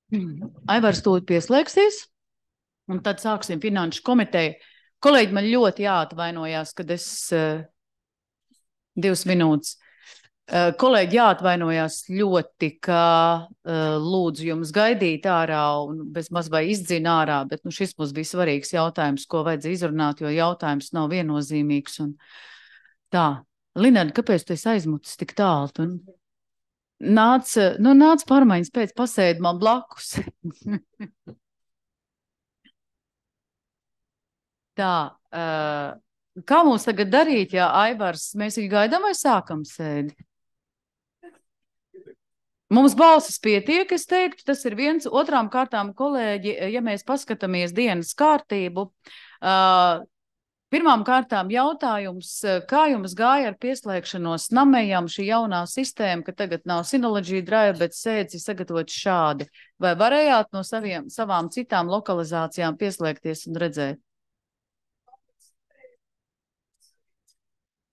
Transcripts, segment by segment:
Aivars tūlīt pieslēgsies, un tad sāksim finanšu komiteju. Kolēģi, man ļoti jāatvainojās, kad es 2 minūtes. Kolēģi, jāatvainojās ļoti, ka lūdzu jums gaidīt ārā un bezmaz vai izdzina ārā, bet šis mums bija svarīgs jautājums, ko vajadzēja izrunāt, jo jautājums nav viennozīmīgs. Un tā, Linarda, kāpēc tu esi aizmutis tik tālu? Nāc pārmaiņas pēc, pasēdi man blakus. Tā, kā mums tagad darīt, ja Aivars, mēs viņu gaidām vai sākam sēdi? Mums balsis pietiek, es teiktu, tas ir viens. Otrām kārtām, kolēģi, ja mēs paskatāmies dienas kārtību, pirmām kārtām jautājums, kā jums gāja ar pieslēgšanos Namejam, šī jaunā sistēma, ka tagad nav Synology Drive, bet sēdzi sagatavot šādi. Vai varējāt no savām citām lokalizācijām pieslēgties un redzēt?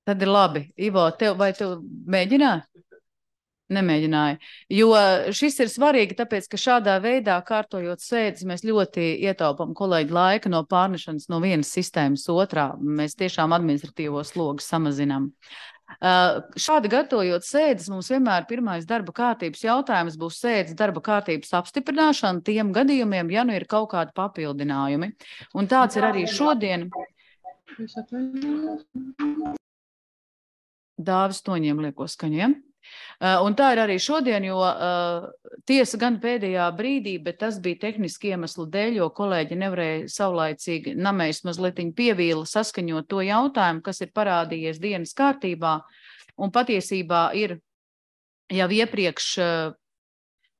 Tad ir labi. Ivo, vai tev mēģināji? Nemēģināja, jo šis ir svarīgi, tāpēc, ka šādā veidā kārtojot sēdes, mēs ļoti ietaupam kolēģi laika no pārnešanas no vienas sistēmas otrā. Mēs tiešām administratīvo slogu samazinām. Šādi gatavojot sēdes, mums vienmēr pirmais darba kārtības jautājums būs sēdes darba kārtības apstiprināšana tiem gadījumiem, ja nu ir kaut kādi papildinājumi. Un tāds ir arī šodien. Dāvis Toņiem lieko skaņiem. Un tā ir arī šodien, jo tiesa gan pēdējā brīdī, bet tas bija tehniski iemeslu dēļ, jo kolēģi nevarēja saulaicīgi Namejs mazlietiņ pievīla saskaņot to jautājumu, kas ir parādījies dienas kārtībā, un patiesībā ir jau iepriekš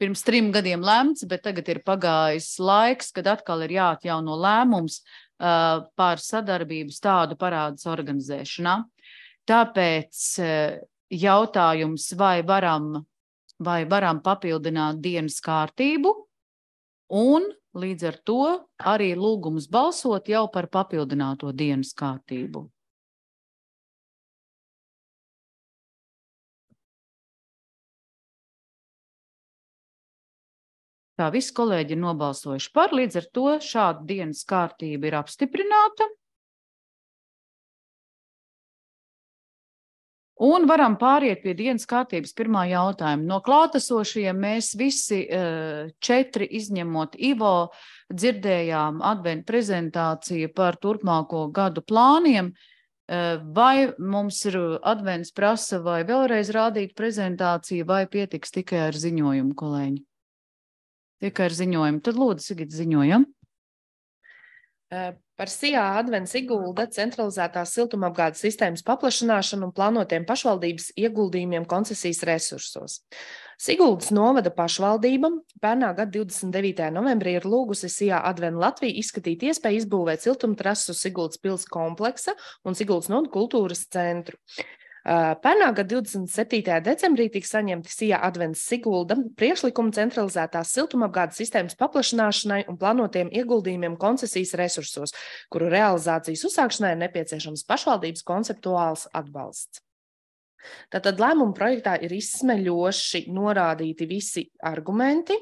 pirms 3 gadiem lemts, bet tagad ir pagājis laiks, kad atkal ir jāatjauno lēmums par sadarbības tādu parādas organizēšanā. Tāpēc jautājums, vai varam papildināt dienas kārtību, un līdz ar to arī lūgums balsot jau par papildināto dienas kārtību. Tā visi kolēģi ir nobalsojuši par, līdz ar to šāda dienas kārtība ir apstiprināta. Un varam pāriet pie dienas kārtības pirmā jautājuma. No klātesošajiem mēs visi 4, izņemot Ivo, dzirdējām adventu prezentāciju par turpmāko gadu plāniem. Vai mums ir advents prasa vai vēlreiz rādīt prezentāciju, vai pietiks tikai ar ziņojumu, kolēģi? Tikai ar ziņojumu. Tad lūdzu, Sigita, ziņojam. Par SIA advents Sigulda centralizētās siltumapgādes sistēmas paplašināšanu un plānotiem pašvaldības ieguldījumiem koncesijas resursos. Siguldas novada pašvaldība pērnā gada 29. novembrī ir lūgusi SIA Adven Latviju izskatīt iespēju izbūvēt siltumtrasu Siguldas pils kompleksa un Siguldas nodu kultūras centru. Pērnā gada 27. decembrī tika saņemti SIA Advents Sigulda priekšlikumi centralizētās siltumapgādes sistēmas paplašināšanai un plānotiem ieguldījumiem koncesijas resursos, kuru realizācijas uzsākšanai ir nepieciešams pašvaldības konceptuāls atbalsts. Tātad lēmuma projektā ir izsmeļoši norādīti visi argumenti.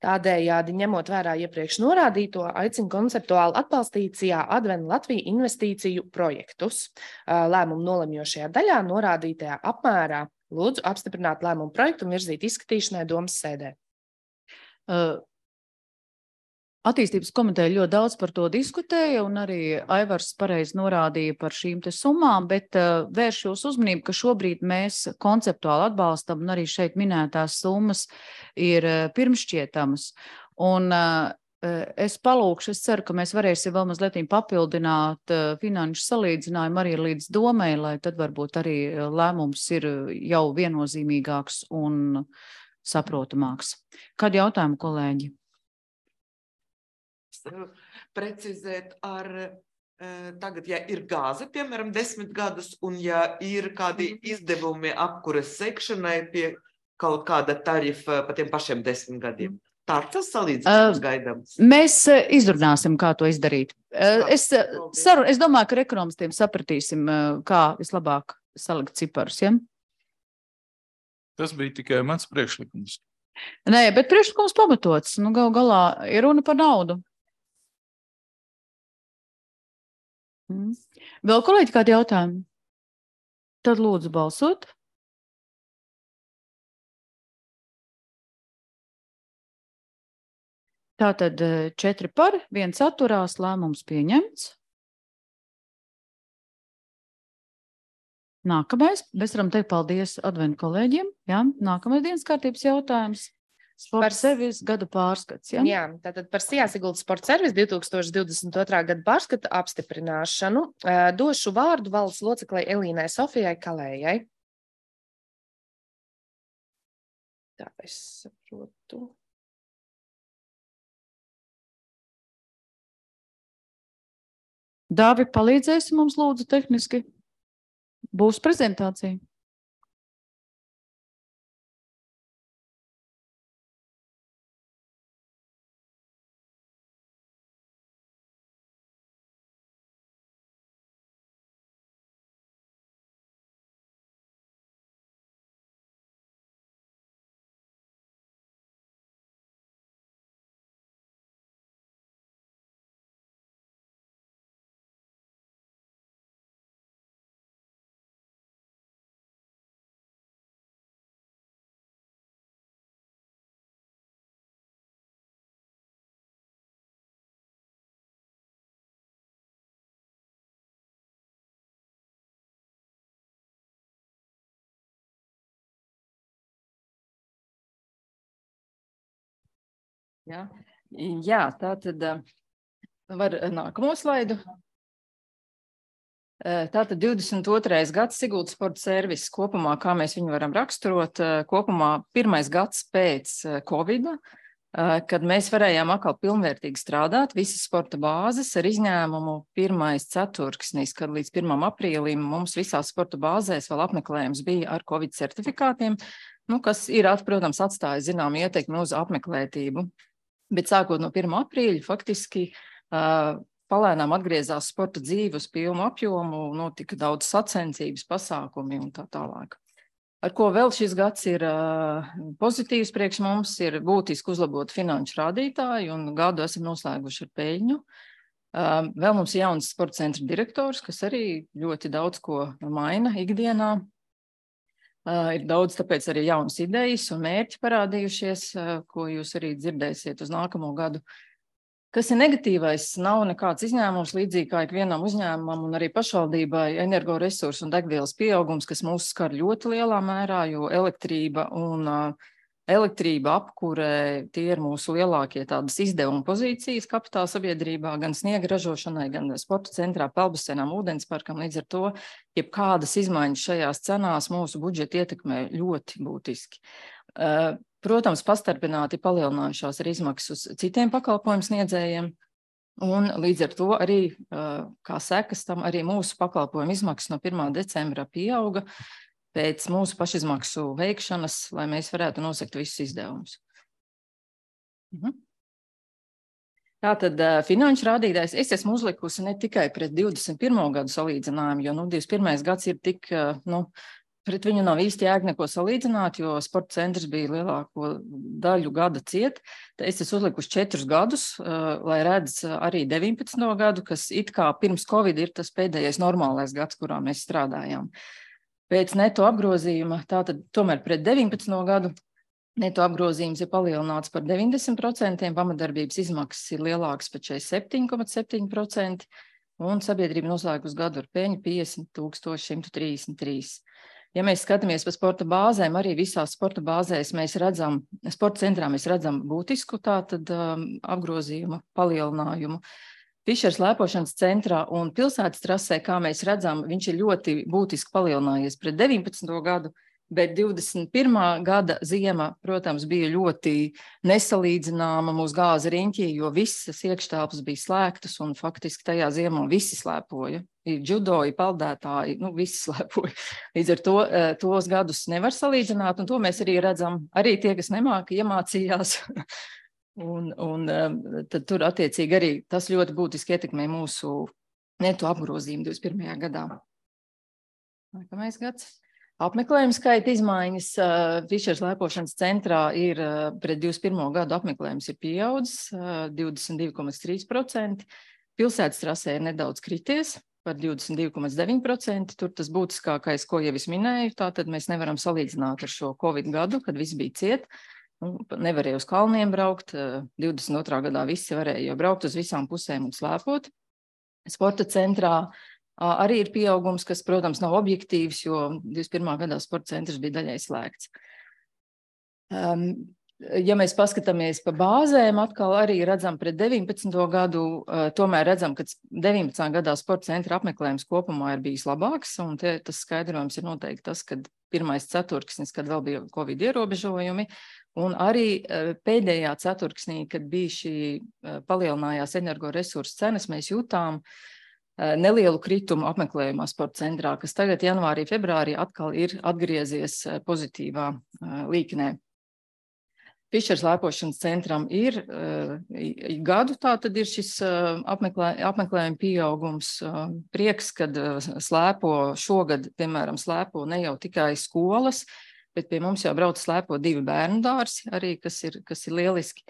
Tādējādi, ņemot vērā iepriekš norādīto, aicina konceptuāli atbalstīt SIA Adven Latviju investīciju projektus. Lēmumu nolemjošajā daļā norādītajā apmērā lūdzu apstiprināt lēmumu projektu un virzīt izskatīšanai domas sēdē. Attīstības komiteja ļoti daudz par to diskutēja, un arī Aivars pareizi norādīja par šīm te summām, bet vērš jūs uzmanību, ka šobrīd mēs konceptuāli atbalstam, un arī šeit minētās summas ir pirmšķietamas. Un es palūkšu, es ceru, ka mēs varēsim vēl mazliet papildināt finanšu salīdzinājumu arī līdz domai, lai tad varbūt arī lēmums ir jau viennozīmīgāks un saprotamāks. Kādi jautājumi, kolēģi? Precizēt ar tagad, ja ir gāze, piemēram, 10 gadus, un ja ir kādi izdevumi apkures sekšanai pie kaut kāda tarifa pa tiem pašiem 10 gadiem. Tā tas salīdzinājums gaidāms. Mēs izrunāsim, kā to izdarīt. Es domāju, ka ar ekonomistiem sapratīsim, kā vislabāk salikt ciparus, ja? Tas bija tikai mans priekšlikums. Nē, bet priekšlikums pamatots. Nu, gal galā ir runa par naudu. Vēl kolēģi kādi jautājumi? Tad lūdzu balsot. Tātad 4 par, 1 atturās, lēmums pieņemts. Nākamais, mēs varam teikt paldies adventu kolēģiem. Jā, nākamais dienas kārtības jautājums. Sporta servis gada pārskats. Ja? Jā, tātad par Sijā Siguldas sporta servis 2022. Gada pārskata apstiprināšanu došu vārdu valdes loceklei Elīnai Sofijai Kalējai. Tā es saprotu. Dāvi, palīdzēsi mums lūdzu tehniski? Būs prezentācija. Jā, tā tad var nākamo slaidu. Tātad 22. gads Siguldas sporta servis kopumā, kā mēs viņu varam raksturot, kopumā pirmais gads pēc Covida, kad mēs varējām atkal pilnvērtīgi strādāt, visas sporta bāzes ar izņēmumu pirmais ceturksnis, kad līdz 1. aprīlim mums visās sporta bāzēs vēl apmeklējums bija ar Covid certifikātiem, kas ir, protams, atstāja zinām ietekmi uz apmeklētību. Bet sākot no 1. aprīļa faktiski palēnām atgriezās sporta dzīve uz pilnu apjomu, notika daudz sacensības, pasākumi un tā tālāk. Ar ko vēl šis gads ir pozitīvs priekš mums, ir būtiski uzlabot finanšu rādītāju un gadu esam noslēguši ar peļņu. Vēl mums ir jauns sporta centra direktors, kas arī ļoti daudz ko maina ikdienā. Ir daudz, tāpēc arī jaunas idejas un mērķi parādījušies, ko jūs arī dzirdēsiet uz nākamo gadu. Kas ir negatīvais, nav nekāds izņēmums, līdzīgi kā ikvienam uzņēmumam un arī pašvaldībai energoresursu un degvielas pieaugums, kas mūs skar ļoti lielā mērā, jo elektrība, apkure, tie ir mūsu lielākie tādas izdevuma pozīcijas kapitāla sabiedrībā, gan sniega ražošanai, gan sporta centrā, peldbasenām, ūdensparkam. Līdz ar to, jebkādas izmaiņas šajās cenās mūsu budžetu ietekmē ļoti būtiski. Protams, pastarpināti palielinājušās ir izmaksas uz citiem pakalpojumu sniedzējiem, un līdz ar to arī, kā sekas tam, arī mūsu pakalpojumu izmaksas no 1. decembra pieauga pēc mūsu pašizmaksu veikšanas, lai mēs varētu nosekt visus izdevumus. Tātad finanšu rādītājs es esmu uzlikusi ne tikai pret 21. gadu salīdzinājumu, jo 21. gads ir tik, pret viņu nav īsti jēga neko salīdzināt, jo sporta centrs bija lielāko daļu gada ciet. Es esmu uzlikusi 4 gadus, lai redz arī 19. gadu, kas it kā pirms Covid ir tas pēdējais normālais gads, kurā mēs strādājām. Pēc neto apgrozījuma, tātad tomēr pret 19. gadu, neto apgrozījums ir palielināts par 90%, pamatdarbības izmaksas ir lielākas par 47,7%, un sabiedrība noslēgus gadu ar peļņu 50,133. Ja mēs skatāmies par sporta bāzēm, arī visās sporta bāzēs mēs redzam, sporta centrā mēs redzam būtisku tātad apgrozījumu palielinājumu. Fišers lēpošanas centrā un pilsētas trasē, kā mēs redzam, viņš ir ļoti būtiski palielinājies pret 19. gadu, bet 21. gada ziema, protams, bija ļoti nesalīdzināma mūsu gāza riņķī, jo visas iekštelpas bija slēgtas un faktiski tajā ziemā visi slēpoja. Ir džudoji, peldētāji, visi slēpoja. Līdz ar to tos gadus nevar salīdzināt, un to mēs arī redzam, arī tie, kas nemāka, iemācījās. Un tad tur attiecīgi arī tas ļoti būtiski ietekmē mūsu neto apgrozījumu 21. gadā. Nākamais gads. Apmeklējumu skaita izmaiņas Fišera slēpošanas centrā ir pret 21. gadu apmeklējums ir pieaudzis 22,3%. Pilsētas trasē ir nedaudz krities par 22,9%. Tur tas būtiskākais, ko jau es minēju, tātad mēs nevaram salīdzināt ar šo Covid gadu, kad viss bija ciet. Nevarēja uz kalniem braukt. 22. gadā visi varēja jau braukt uz visām pusēm un slēpot. Sporta centrā arī ir pieaugums, kas, protams, nav objektīvs, jo 21. gadā sporta centrs bija daļai slēgts. Ja mēs paskatāmies pa bāzēm, atkal arī redzam pret 19. gadu, tomēr redzam, ka 19. gadā sporta centra apmeklējums kopumā ir bijis labāks, un tas skaidrojums ir noteikti tas, kad pirmais ceturksnis, kad vēl bija Covid ierobežojumi, un arī pēdējā ceturksnī, kad bija šī palielinājās energoresursu cenas, mēs jutām nelielu kritumu apmeklējumā sporta centrā, kas tagad janvārī, februārī atkal ir atgriezies pozitīvā līknē. Fišera slēpošanas centram ir gadu, tā tad ir šis apmeklējuma pieaugums. Prieks, kad slēpo šogad, piemēram, slēpo ne jau tikai skolas, bet pie mums jau brauc slēpo 2 bērnu dārzi, arī kas ir lieliski.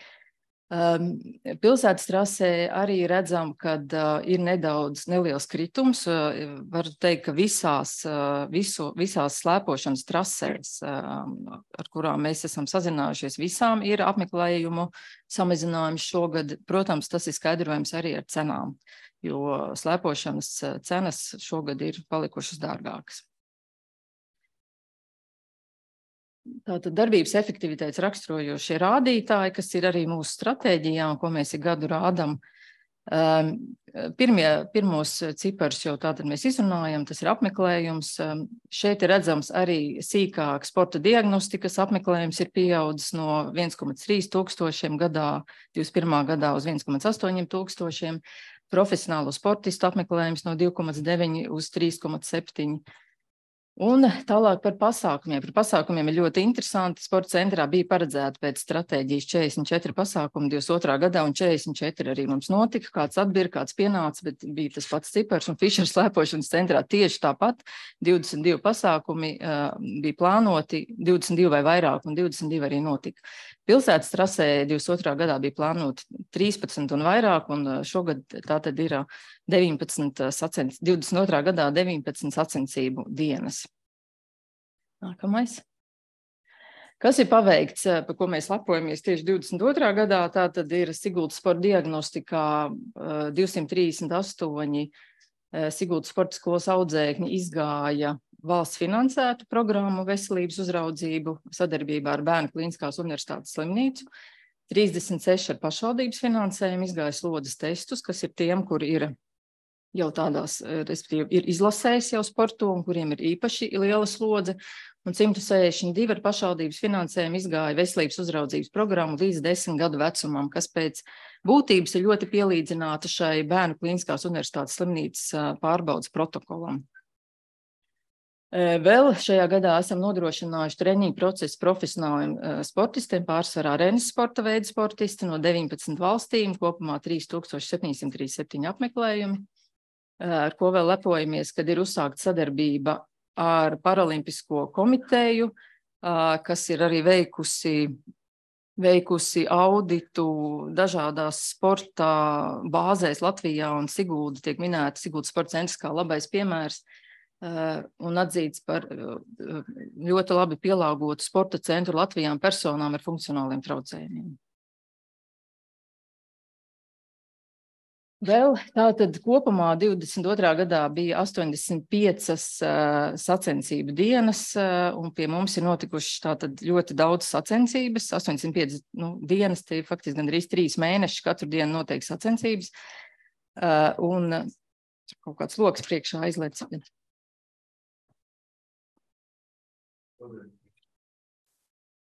Pilsētas trasē arī redzam, kad ir neliels kritums. Varu teikt, ka visās slēpošanas trasēs, ar kurām mēs esam sazinājušies, visām ir apmeklējumu samazinājums šogad. Protams, tas ir skaidrojums arī ar cenām, jo slēpošanas cenas šogad ir palikušas dārgākas. Tātad darbības efektivitātes raksturojošie rādītāji, kas ir arī mūsu stratēģijā un ko mēs ik gadu rādam. Pirmos ciparus jau tātad mēs izrunājam, tas ir apmeklējums. Šeit ir redzams arī sīkāk sporta diagnostikas apmeklējums ir pieaudzis no 1,3 tūkstošiem gadā, 21. gadā uz 1,8 tūkstošiem. Profesionālo sportistu apmeklējums no 2,9 uz 3,7. Un tālāk par pasākumiem. Par pasākumiem ir ļoti interesanti. Sporta centrā bija paredzēta pēc stratēģijas 44 pasākumi 22. gadā, un 44 arī mums notika. Kāds atbira, kāds pienāca, bet bija tas pats cipars. Un Fišera slēpošanas centrā tieši tāpat 22 pasākumi bija plānoti, 22 vai vairāk, un 22 arī notika. Pilsētas trasē 22. gadā bija plānoti 13 un vairāk, un šogad tātad ir 22. gadā 19 sacensību dienas. Nākamais. Kas ir paveikts, par ko mēs lepojamies tieši 22. gadā, tātad ir Siguldas sporta diagnostikā 238 Siguldas sporta skolas audzēkņi izgāja valsts finansētu programmu veselības uzraudzību sadarbībā ar Bērnu Klīniskās universitātes slimnīcu. 36 ar pašvaldības finansējumu izgāja slodzes testus, kas ir tiem, kur ir jau tādās, respektīvi, ir izlasējis jau sportu un kuriem ir īpaši liela slodze. Un 162 ar pašvaldības finansējumu izgāja veselības uzraudzības programmu līdz 10 gadu vecumam, kas pēc būtības ir ļoti pielīdzināta šai Bērnu Klīniskās universitātes slimnīcas pārbaudas protokolam. Vēl šajā gadā esam nodrošinājuši treniņu procesu profesionāliem sportistiem, pārsvarā Renes sporta veidu sportisti no 19 valstīm, kopumā 3737 apmeklējumi, ar ko vēl lepojamies, kad ir uzsākta sadarbība ar Paralimpisko komiteju, kas ir arī veikusi auditu dažādās sporta bāzēs Latvijā, un Sigulda tiek minēta Siguldas sporta centrs kā labais piemērs, un atzīts par ļoti labi pielāgotu sporta centru Latvijām personām ar funkcionāliem traucējumiem. Vēl tātad kopumā 22. gadā bija 85 sacensību dienas, un pie mums ir notikušas tātad ļoti daudz sacensības, 85 dienas, tie faktiski gandrīz 3 mēneši, katru dienu notiek sacensības, un kaut kāds loks priekšā aizliec.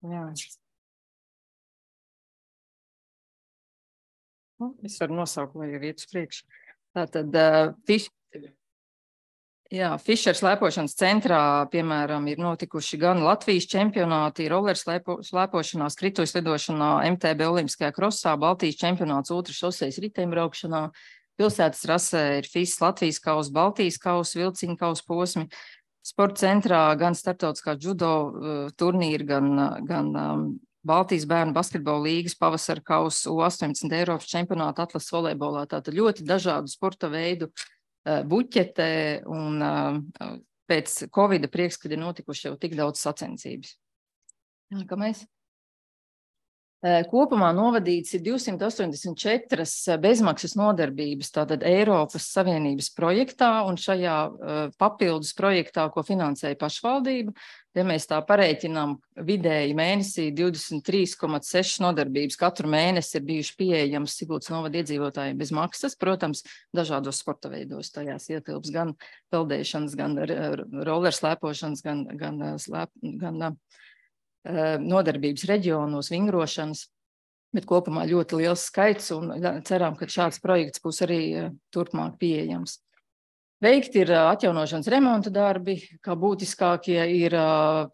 Jā. Es varu nosaukt, lai jau iet uz priekšu. Tātad Fišera slēpošanas centrā, piemēram, ir notikuši gan Latvijas čempionāti, roller slēpošanā, skrituļu slidošanā, MTB olimpiskajā krosā, Baltijas čempionāts ultrašosejas riteņbraukšanā, pilsētas trasē ir FIS Latvijas kausa, Baltijas kausa, vilciņu kausa posmi, Sporta centrā gan starptautiskā judo turnīri, gan Baltijas bērnu basketbola līgas pavasara kausa, U18 Eiropas čempionāta atlases volejbolā. Tātad ļoti dažādu sporta veidu buķete un pēc Covida prieks, kad ir notikuši jau tik daudz sacensības. Nākamais. Kopumā novadīts ir 284 bezmaksas nodarbības, tātad Eiropas Savienības projektā, un šajā papildus projektā, ko finansēja pašvaldība, ja mēs tā pareiķinām vidēji mēnesī 23,6 nodarbības katru mēnesi ir bijuši pieejams Siguldas novada iedzīvotājiem bez maksas, protams, dažādos sporta veidos tajās ietilps gan peldēšanas, gan rollerslēpošanas, gan nodarbības reģionos, vingrošanas, bet kopumā ļoti liels skaits un ceram, ka šāds projekts būs arī turpmāk pieejams. Veikti ir atjaunošanas remonta darbi, kā būtiskākie ir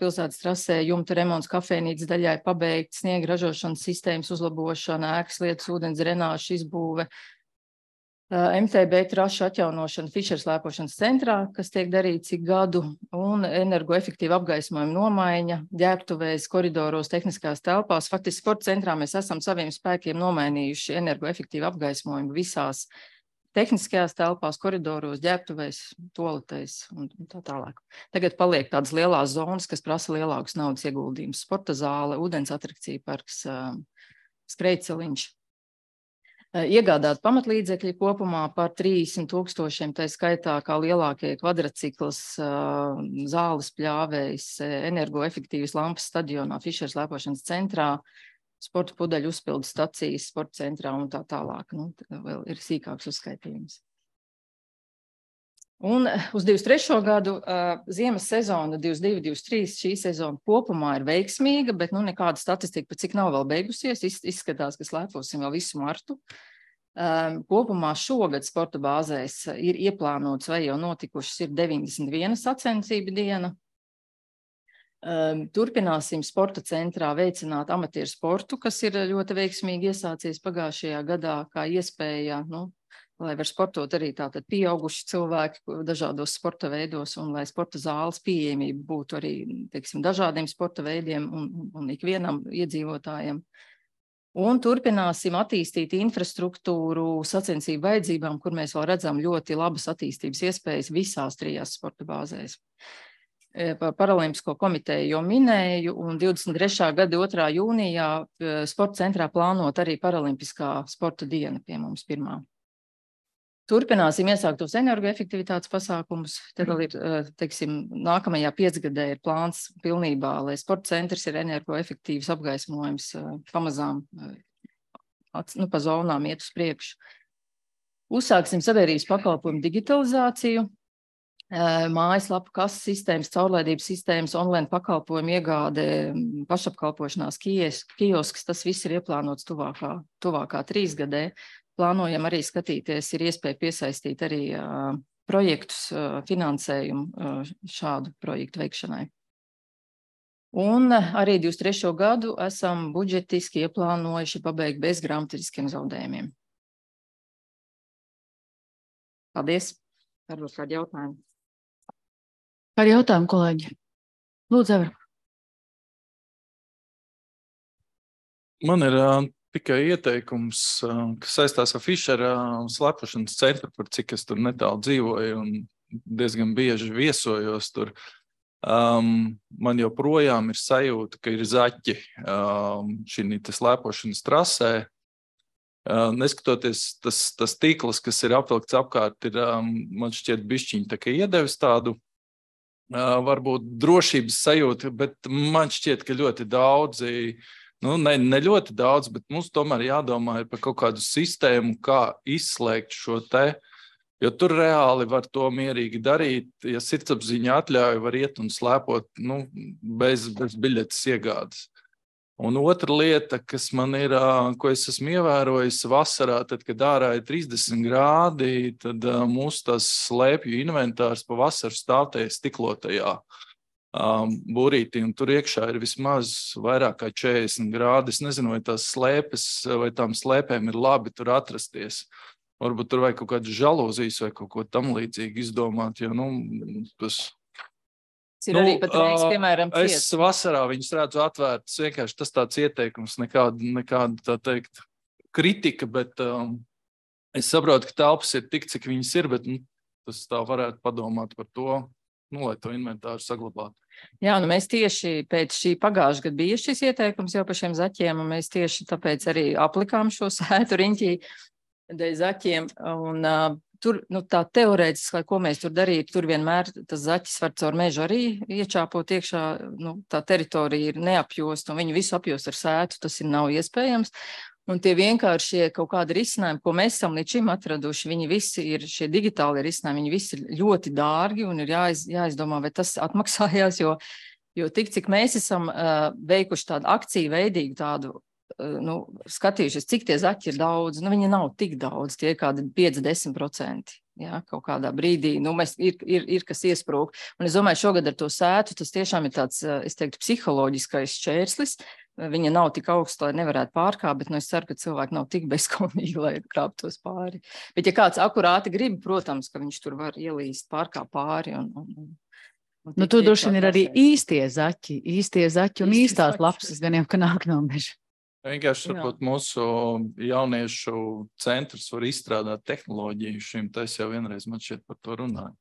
pilsētas trasē jumta remonts, kafejnīcas daļai pabeigt, sniega ražošanas sistēmas uzlabošana, ēkas lietas, ūdens drenāžu izbūve, MTB trašu atjaunošana Fišeras slēpošanas centrā, kas tiek darīts ik gadu, un energoefektīva apgaismojuma nomaiņa, ģērbtuvēs, koridoros, tehniskās telpās. Faktiski sporta centrā mēs esam saviem spēkiem nomainījuši energoefektīvu apgaismojumu visās tehniskajās telpās, koridoros, ģērbtuvēs, toaletēs un tā tālāk. Tagad paliek tādas lielās zonas, kas prasa lielākus naudas ieguldījumus. Sporta zāle, ūdens atrakcija parks, skrejceliņš. Iegādāt pamatlīdzekļi kopumā par 30,000, tā skaitā kā lielākie kvadracikls, zāles pļāvējs, energoefektīvas lampas stadionā, Fišeras slēpošanas centrā, sporta pudeļu uzpildes stacijas sporta centrā un tā tālāk. Vēl ir sīkāks uzskaitījums. Un uz 23. gadu ziemas sezona 22-23 šī sezona kopumā ir veiksmīga, bet nekāda statistika, cik nav vēl beigusies, izskatās, ka slēposim vēl visu martu. Kopumā šogad sporta bāzēs ir ieplānots vai jau notikušas ir 91 sacensību diena. Turpināsim sporta centrā veicināt amatieru sportu, kas ir ļoti veiksmīgi iesācies pagājušajā gadā, kā iespēja, lai var sportot arī tātad pieauguši cilvēki dažādos sporta veidos un lai sporta zāles pieejamība būtu arī, teiksim, dažādiem sporta veidiem un ikvienam iedzīvotājiem. Un turpināsim attīstīt infrastruktūru sacensību vajadzībām, kur mēs vēl redzam ļoti labas attīstības iespējas visās 3 sporta bāzēs. Par Paralimpisko komiteju jau minēju, un 23. gada 2. jūnijā sporta centrā plānot arī Paralimpiskā sporta diena pie mums pirmā. Turpināsim iesāktos energoefektivitātes pasākumus. Tad vēl ir, teiksim, nākamajā 5-gadē ir plāns pilnībā, lai sporta centrs ir energoefektīvs apgaismojums pamazām pa zonām iet uz priekšu. Uzsāksim sabiedrības pakalpojumu digitalizāciju, mājaslapu kases sistēmas, caurlaidības sistēmas, online pakalpojumu iegāde, pašapkalpošanās kiosks, tas viss ir ieplānots tuvākā 3 gadē. Plānojam arī skatīties, ir iespēja piesaistīt arī projektus, finansējumu šādu projektu veikšanai. Un arī 23. gadu esam budžetiski ieplānojuši pabeigt bez grāmatiskiem zaudējumiem. Paldies. Varbūt kādi jautājumi. Kādi jautājumi, kolēģi? Lūdzu, Evra. Man ir tikai ieteikums, kas saistās ar Fišera slēpošanas centru, par cik es tur netālu dzīvoju un diezgan bieži viesojos tur. Man joprojām ir sajūta, ka ir zaķi šī slēpošanas trasē. Neskatoties, tas tīkls, kas ir apvilkts apkārt, ir, man šķiet, bišķiņi tā kā iedevis tādu varbūt drošības sajūtu, bet man šķiet, ka ļoti daudzi, ne ļoti daudz, bet mums tomēr jādomā ir par kaut kādu sistēmu, kā izslēgt šo te, jo tur reāli var to mierīgi darīt, ja sirdsapziņa atļauj, var iet un slēpot, bez biļetes iegādes. Un otra lieta, kas man ir, ko es esmu ievērojis vasarā, tad, kad ārā ir 30 grādi, tad mūsu tās slēpju inventārs pa vasaru stāvtajā stiklotajā burītī, un tur iekšā ir vismaz vairāk kā 40 grādi. Es nezinu, vai tās slēpes, vai tām slēpēm ir labi tur atrasties. Varbūt tur vajag kaut kādas žalūzijas vai kaut ko tam līdzīgi izdomāt, jo, tas Ir arī pat reiks, piemēram, es vasarā viņus redzu atvērtas, vienkārši tas tāds ieteikums, nekāda tā teikt kritika, bet es saprotu, ka telpas ir tik, cik viņas ir, bet tas tā varētu padomāt par to, lai to inventāru saglabātu. Jā, mēs tieši pēc šī pagājušā gada bija šis ieteikums jau par šiem zaķiem, un mēs tieši tāpēc arī aplikām šo sētu riņķī dēļ zaķiem, un tur, tā teorētiski, ko mēs tur darītu, tur vienmēr tas zaķis var caur mežu arī iečāpot iekšā, tā teritorija ir neapjosta, un viņu visu apjost ar sētu, tas nav iespējams. Un tie vienkāršie kaut kādi risinājumi, ko mēs esam līdz šim atraduši, viņi visi ir šie digitāli risinājumi, viņi visi ir ļoti dārgi un ir jāizdomā, vai tas atmaksājās, jo tik, cik mēs esam veikuši tādu akciju veidīgu tādu, skatījušies, cik tie zaķi ir daudz, viņi nav tik daudz, tie ir kādi 5-10%. Jā, kaut kādā brīdī, ir kas iesprūk. Un es domāju, šogad ar to sētu, tas tiešām ir tāds, es teiktu, psiholoģiskais šķērslis. Viņa nav tik augsta, lai nevarētu pārkāpt, bet es ceru, ka cilvēki nav tik bezskaunīgi, lai krāptos pāri. Bet ja kāds akurāti grib, protams, ka viņš tur var ielīst pārkāpt pāri. Tur droši vien ir arī īstie zaķi un īstās lapsas, gan jau, ka nāk no meža. Vienkārši varbūt mūsu jauniešu centrs var izstrādāt tehnoloģiju šim, tas jau vienreiz man šķiet par to runāju.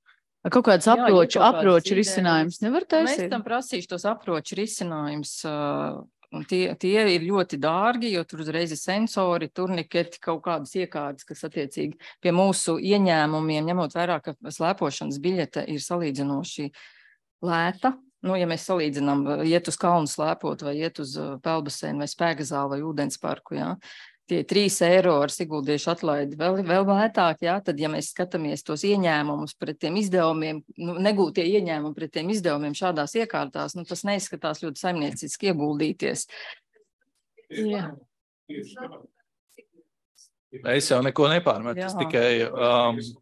Kaut kāds aproču risinājums nevar taisīt? Mēs tam prasīšu tos aproču risinājums, un tie ir ļoti dārgi, jo tur uzreiz ir sensori, turniketi, kaut kādas iekārtas, kas attiecīgi pie mūsu ieņēmumiem, ņemot vērā, ka slēpošanas biļete ir salīdzinoši lēta. Ja mēs salīdzinām, iet uz kalnu slēpot vai iet uz peldbaseinu vai spēkzāli vai ūdensparku, tie 3 eiro ar siguldiešu atlaidi vēl lētāk, tad, ja mēs skatāmies tos ieņēmumus pret tiem izdevumiem, negūtie ieņēmumi pret tiem izdevumiem šādās iekārtās, tas neizskatās ļoti saimnieciski ieguldīties. Jā. Es jau neko nepārmetu, es tikai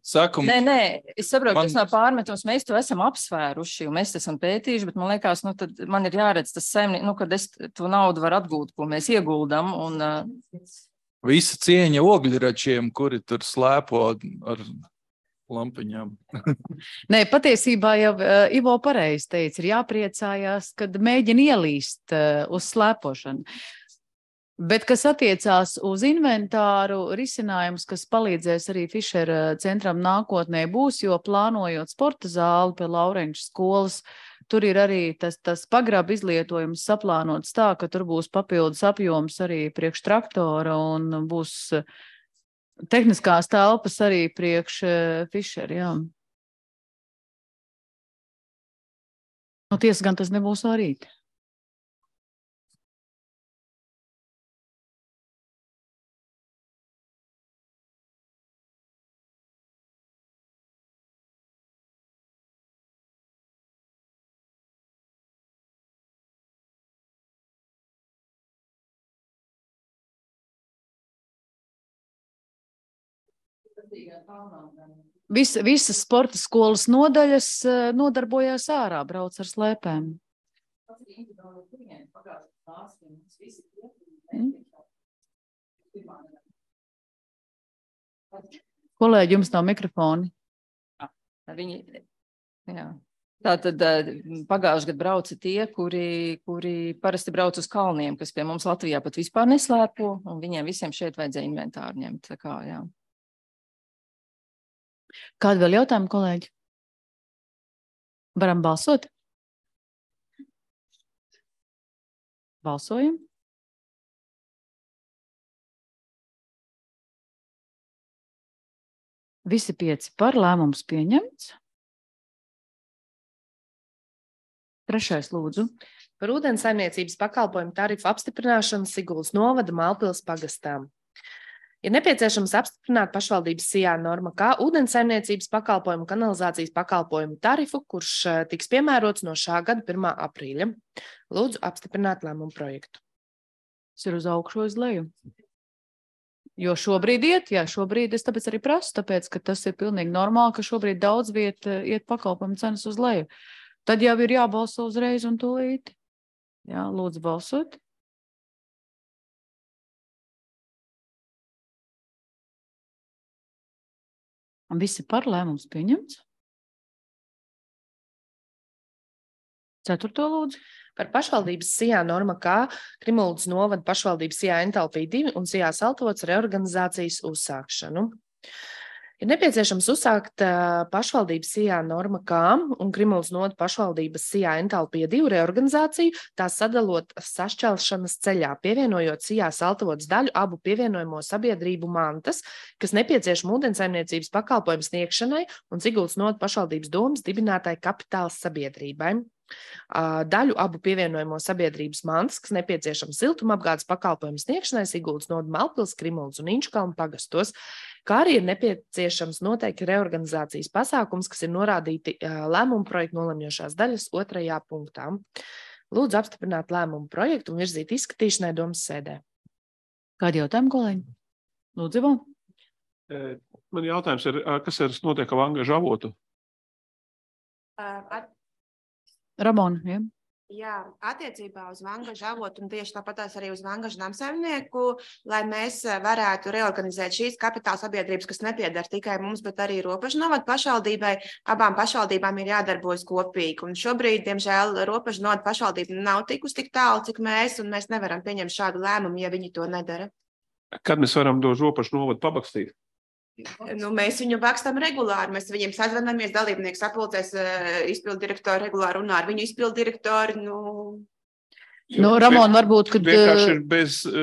saku... Nē, es saprotu, tas nav pārmetums, mēs to esam apsvēruši, un mēs esam pētījuši, bet man liekas, tad man ir jāredz tas kad es to naudu varu atgūt, ko mēs ieguldam, un... Visa cieņa ogļračiem, kuri tur slēpo ar lampiņām. Nē, patiesībā jau Ivo pareizi teica, ir jāpriecājās, kad mēģina ielīst uz slēpošanu. Bet, kas attiecās uz inventāru, risinājums, kas palīdzēs arī Fišera centram nākotnē būs, jo plānojot sporta zāli pie Laurenča skolas, tur ir arī tas pagraba izlietojums saplānots tā, ka tur būs papildus apjoms arī priekš traktora un būs tehniskās telpas arī priekš Fišera, jā. Tiesa gan tas nebūs no rīta. Visas sporta skolas nodaļas nodarbojās ārā, brauc ar slēpēm. Kolēģi, jums nav mikrofoni. Tātad pagājušajā gadā brauca tie, kuri parasti brauc uz kalniem, kas pie mums Latvijā pat vispār neslēpo, un viņiem visiem šeit vajadzēja inventāru ņemt. Tā kā, jā. Kādi vēl jautājumi, kolēģi? Varam balsot? Balsojam. Visi 5 par, lēmums pieņemts. 3. lūdzu. Par ūdensaimniecības pakalpojumu tarifu apstiprināšanu Siguldas novada Mālpils pagastām. Ir nepieciešams apstiprināt pašvaldības SIA norma kā ūdensaimniecības pakalpojumu kanalizācijas pakalpojumu tarifu, kurš tiks piemērots no šā gada 1. aprīļa. Lūdzu apstiprināt lēmumu projektu. Tas ir uz augšu, uz leju. Jo šobrīd šobrīd es tāpēc arī prasu, tāpēc, ka tas ir pilnīgi normāli, ka šobrīd daudz viet iet pakalpojumu cenas uz leju. Tad jau ir jābalso uzreiz un tūlīt. Jā, lūdzu balsot. Un visi par, lēmums pieņemts. Ceturto lūdzu. Par pašvaldības SIA norma K Krimuldas novada pašvaldības SIA Entalpija 2 un SIA Saltovots reorganizācijas uzsākšanu. Ir nepieciešams uzsākt pašvaldības SIA norma K un Krimuldas novada pašvaldības SIA Entalpija 2 reorganizāciju, tās sadalot sašķelšanas ceļā, pievienojot SIA Saltovots daļu abu pievienojamo sabiedrību mantas, kas nepieciešama ūdensaimniecības pakalpojumu sniegšanai un Siguldas novada pašvaldības domas dibinātai kapitāla sabiedrībai. Daļu abu pievienojamo sabiedrības mantas, kas nepieciešams siltumapgādes pakalpojumu sniegšanai Siguldas novada Melnpils, Krimuldas un Inčukalnu pagastos, kā arī ir nepieciešams noteikti reorganizācijas pasākums, kas ir norādīti lēmumu projektu nolemjošās daļas 2. punktā. Lūdzu apstiprināt lēmumu projektu un virzīt izskatīšanai domas sēdē. Kādi jautājumi, kolēģi? Lūdzu, Ivo. Man jautājums ir, kas ir notiek ar Vangažu avotu? Ramona, ja? Jā, attiecībā uz Vangažu avotu un tieši tāpatās arī uz Vangažu namsaimnieku, lai mēs varētu reorganizēt šīs kapitāla sabiedrības, kas nepiedara tikai mums, bet arī Ropažu novada pašvaldībai. Abām pašvaldībām ir jādarbojas kopīgi. Un šobrīd, diemžēl, Ropažu novada pašvaldība nav tikus tik tālu, cik mēs, un mēs nevaram pieņemt šādu lēmumu, ja viņi to nedara. Kad mēs varam to Ropažu novadu pabakstīt? Mēs viņu bakstam regulāri, mēs viņiem sazvanamies, dalībnieks sapulcēs, izpildu direktori regulāri runā ar viņu izpildu direktori. Ramon, varbūt, kad... Vienkārši ir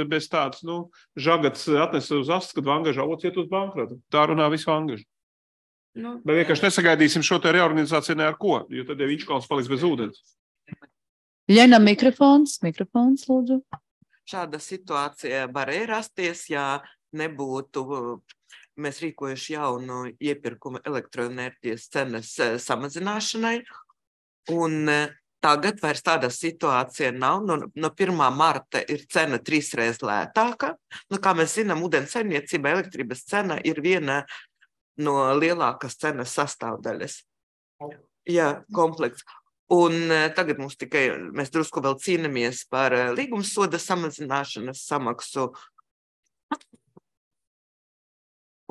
bez tāds, žagats atnesa uz astu, kad Vangažu avots iet uz bankrotu. Tā runā visu Vangažu. Bet vienkārši nesagaidīsim šo te reorganizāciju ne ar ko, jo tad jau Inčukalns paliks bez ūdens. Ļena, mikrofons, lūdzu. Šāda situācija varēja rasties, ja nebūtu... Mēs rīkojuši jaunu iepirkumu elektroenerģijas cenas samazināšanai, un tagad vairs tāda situācija nav. No 1. marta ir cena 3 reizes lētāka. Kā mēs zinām, ūdensaimniecība elektrības cena ir viena no lielākas cenas sastāvdaļas. Jā, komplekts. Un tagad mēs drusku vēl cīnamies par līgumsoda samazināšanas samaksu.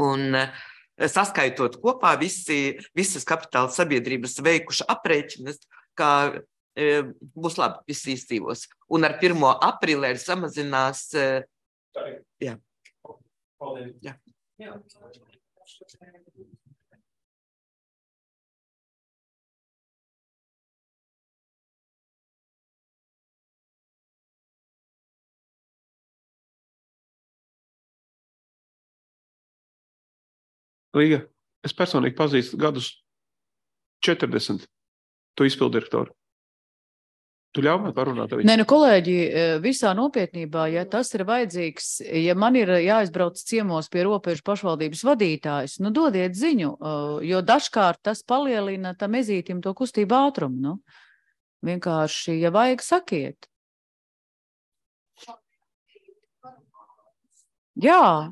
Un saskaitot kopā visas kapitāla sabiedrības veikuši aprēķinas, kā būs labi, visi izdzīvos. Un ar 1. aprīlē samazinās... Jā. Jā. Līga, es personīgi pazīstu gadus 40 tu izpildirektoru. Tu ļauj man parunāt ar viņu? Nē, kolēģi, visā nopietnībā, ja tas ir vajadzīgs, ja man ir jāizbrauc ciemos pie Ropažu pašvaldības vadītājs, dodiet ziņu, jo dažkārt tas palielina tam ezītim to kustību ātrumu. Vienkārši, ja vajag, sakiet. Jā.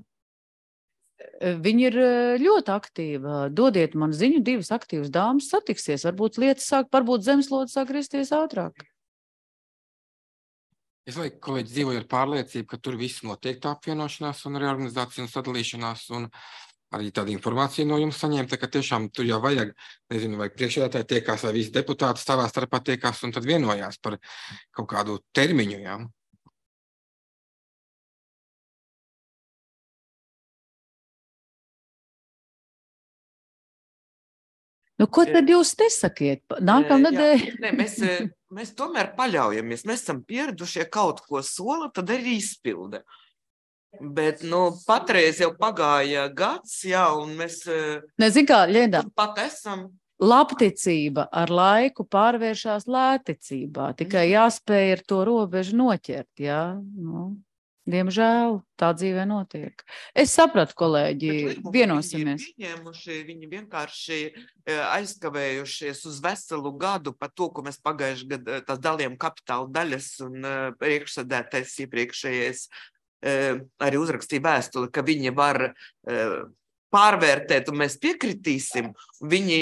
Viņa ir ļoti aktīva. Dodiet man ziņu, 2 aktīvas dāmas satiksies. Varbūt zemeslode sāk risties ātrāk. Es vai kolēģi dzīvoju ar pārliecību, ka tur viss notiek tā apvienošanās un reorganizācija un sadalīšanās un arī tāda informācija no jums saņemta, ka tiešām tur jau vajag, vai priekšsēdētāji tiekās, vai visi deputāti savā starpā tiekās un tad vienojās par kaut kādu termiņu, jā. Ko tad jūs nesakiet? Nākamnedēļ? Mēs tomēr paļaujamies. Mēs esam pieradušie kaut ko sola, tad arī izpilda. Bet, patreiz jau pagāja gads, jā, un mēs pat esam. Labticība ar laiku pārvēršās lētticībā. Tikai jāspēj ar to robežu noķert, jā. Diemžēl tā dzīvē notiek. Es sapratu, kolēģi, vienosimies. Viņi vienkārši aizkavējušies uz veselu gadu par to, ko mēs pagājuši gadu tās dalījām kapitāla daļas un priekšsēdētājs iepriekšējais arī uzrakstīja vēstuli, ka viņi var pārvērtēt un mēs piekritīsim. Viņi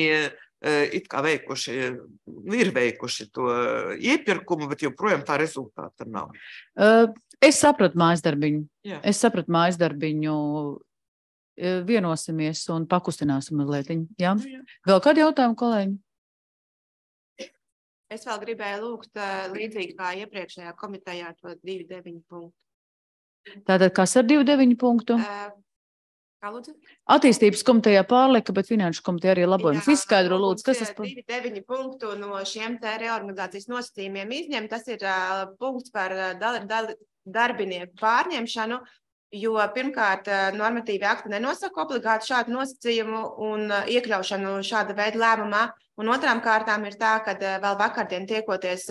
it kā ir veikuši to iepirkumu, bet joprojām tā rezultāta nav. Es sapratu mājasdarbiņu. Vienosimies un pakustināsim mazliet. Jā? Vēl kādi jautājumi, kolēģi? Es vēl gribēju lūgt līdzīgi kā iepriekšējā komitejā to 2.9 punktu. Tātad kas ar 2.9 punktu? Kā lūdzu? Attīstības komitejā pārlika, bet finanšu komiteja arī labojums. Jā, Izskaidro, lūdzu, kas tas par? 2.9 punktu no šiem te reorganizācijas nosacījumiem izņem. Tas ir punkts par darbinieku pārņemšanu, jo pirmkārt normatīvi akti nenosaka obligāti šādu nosacījumu un iekļaušanu šāda veida lēmumā. Un otrām kārtām ir tā, ka vēl vakardien tiekoties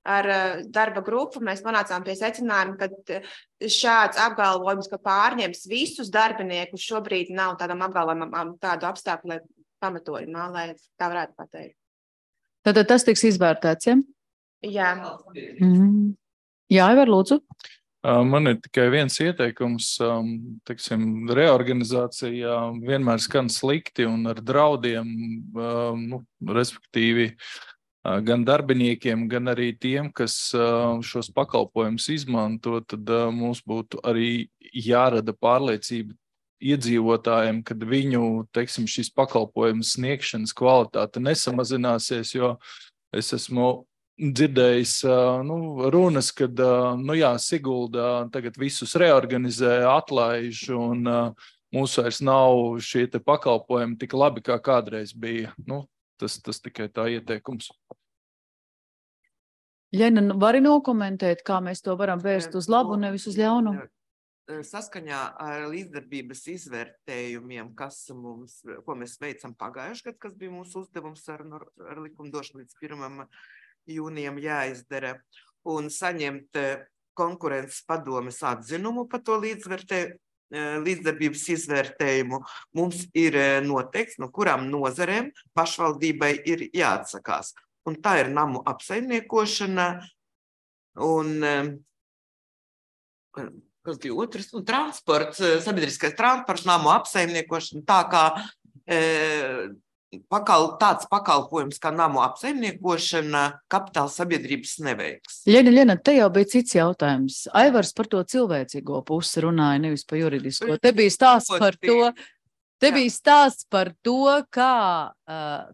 ar darba grupu, mēs nonācām pie secinājuma, ka šāds apgalvojums, ka pārņems visus darbiniekus, šobrīd nav tādam apgalvojumam tādu apstākļu pamatojumā, lai tā varētu pateikt. Tad tas tiks izvērtēts, ja? Jā. Jā, Ivar, lūdzu. Man ir tikai viens ieteikums, teiksim, reorganizācija vienmēr skan slikti un ar draudiem, respektīvi, gan darbiniekiem, gan arī tiem, kas šos pakalpojumus izmanto, tad mums būtu arī jārada pārliecība iedzīvotājiem, kad viņu, teiksim, šis pakalpojums sniegšanas kvalitāte nesamazināsies, jo es esmu dzirdējis runas, kad Sigulda tagad visus reorganizē, atlaiž un mums vairs nav šie te pakalpojumi tik labi, kā kādreiz bija. Tas tikai tā ieteikums. Ļena, vari nokomentēt, kā mēs to varam vērst uz labu, nevis uz ļaunu? Saskaņā ar līdzdarbības izvērtējumiem, ko mēs veicam pagājušajā gadā, kas bija mūsu uzdevums ar likumdošanu līdz 1. jūnijam jāizdara, un saņemt konkurences padomes atzinumu par to līdzdarbības izvērtējumu, mums ir noteikts, no kurām nozarēm pašvaldībai ir jāatsakās. Un tā ir namu apsaimniekošana un kas bija otrs? Transports, sabiedriskais transports, namu apsaimniekošana, tā kā tāds pakalpojums kā namu apsaimniekošana kapitāla sabiedrības neveiks. Ļena, te jau bija cits jautājums. Aivars par to cilvēcīgo pusi runāja, nevis par juridisko. Te bija stāsts par to. Te bija stāsts par to, kā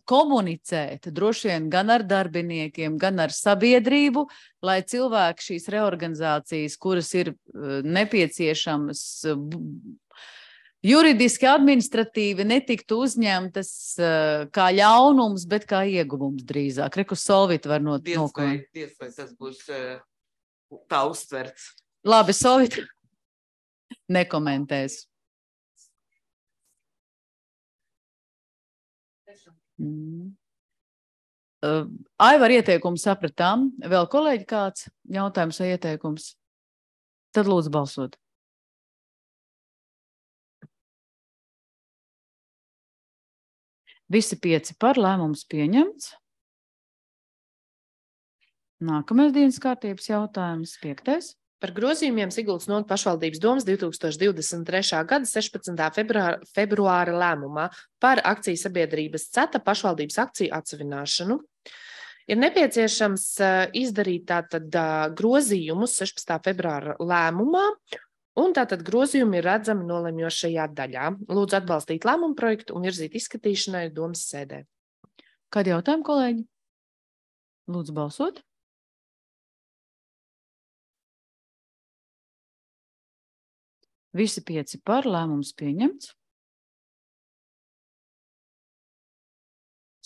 komunicēt droši vien gan ar darbiniekiem, gan ar sabiedrību, lai cilvēki šīs reorganizācijas, kuras ir nepieciešamas juridiski, administratīvi, netiktu uzņemtas kā ļaunums, bet kā ieguvums drīzāk. Reku Solvita var nokomentēt. Diez vai tas būs tā uztverts. Labi, Solvita nekomentēs. Aivar ieteikumu sapratām. Vēl kolēģi kāds jautājums vai ieteikums? Tad lūdzu balsot. Visi 5 par, lēmums pieņemts. Nākamais dienas kārtības jautājums, 5. Par grozījumiem Siguldas novadas pašvaldības domes 2023. gada 16. februāra lēmumā par akciju sabiedrības CETA pašvaldības akciju atsevināšanu. Ir nepieciešams izdarīt tātad grozījumus 16. februāra lēmumā, un tātad grozījumi ir redzami nolemjošajā daļā. Lūdzu atbalstīt lēmumu projektu un virzīt izskatīšanai domes sēdē. Kādi jautājumi, kolēģi? Lūdzu balsot. Visi 5 par, lēmums pieņemts.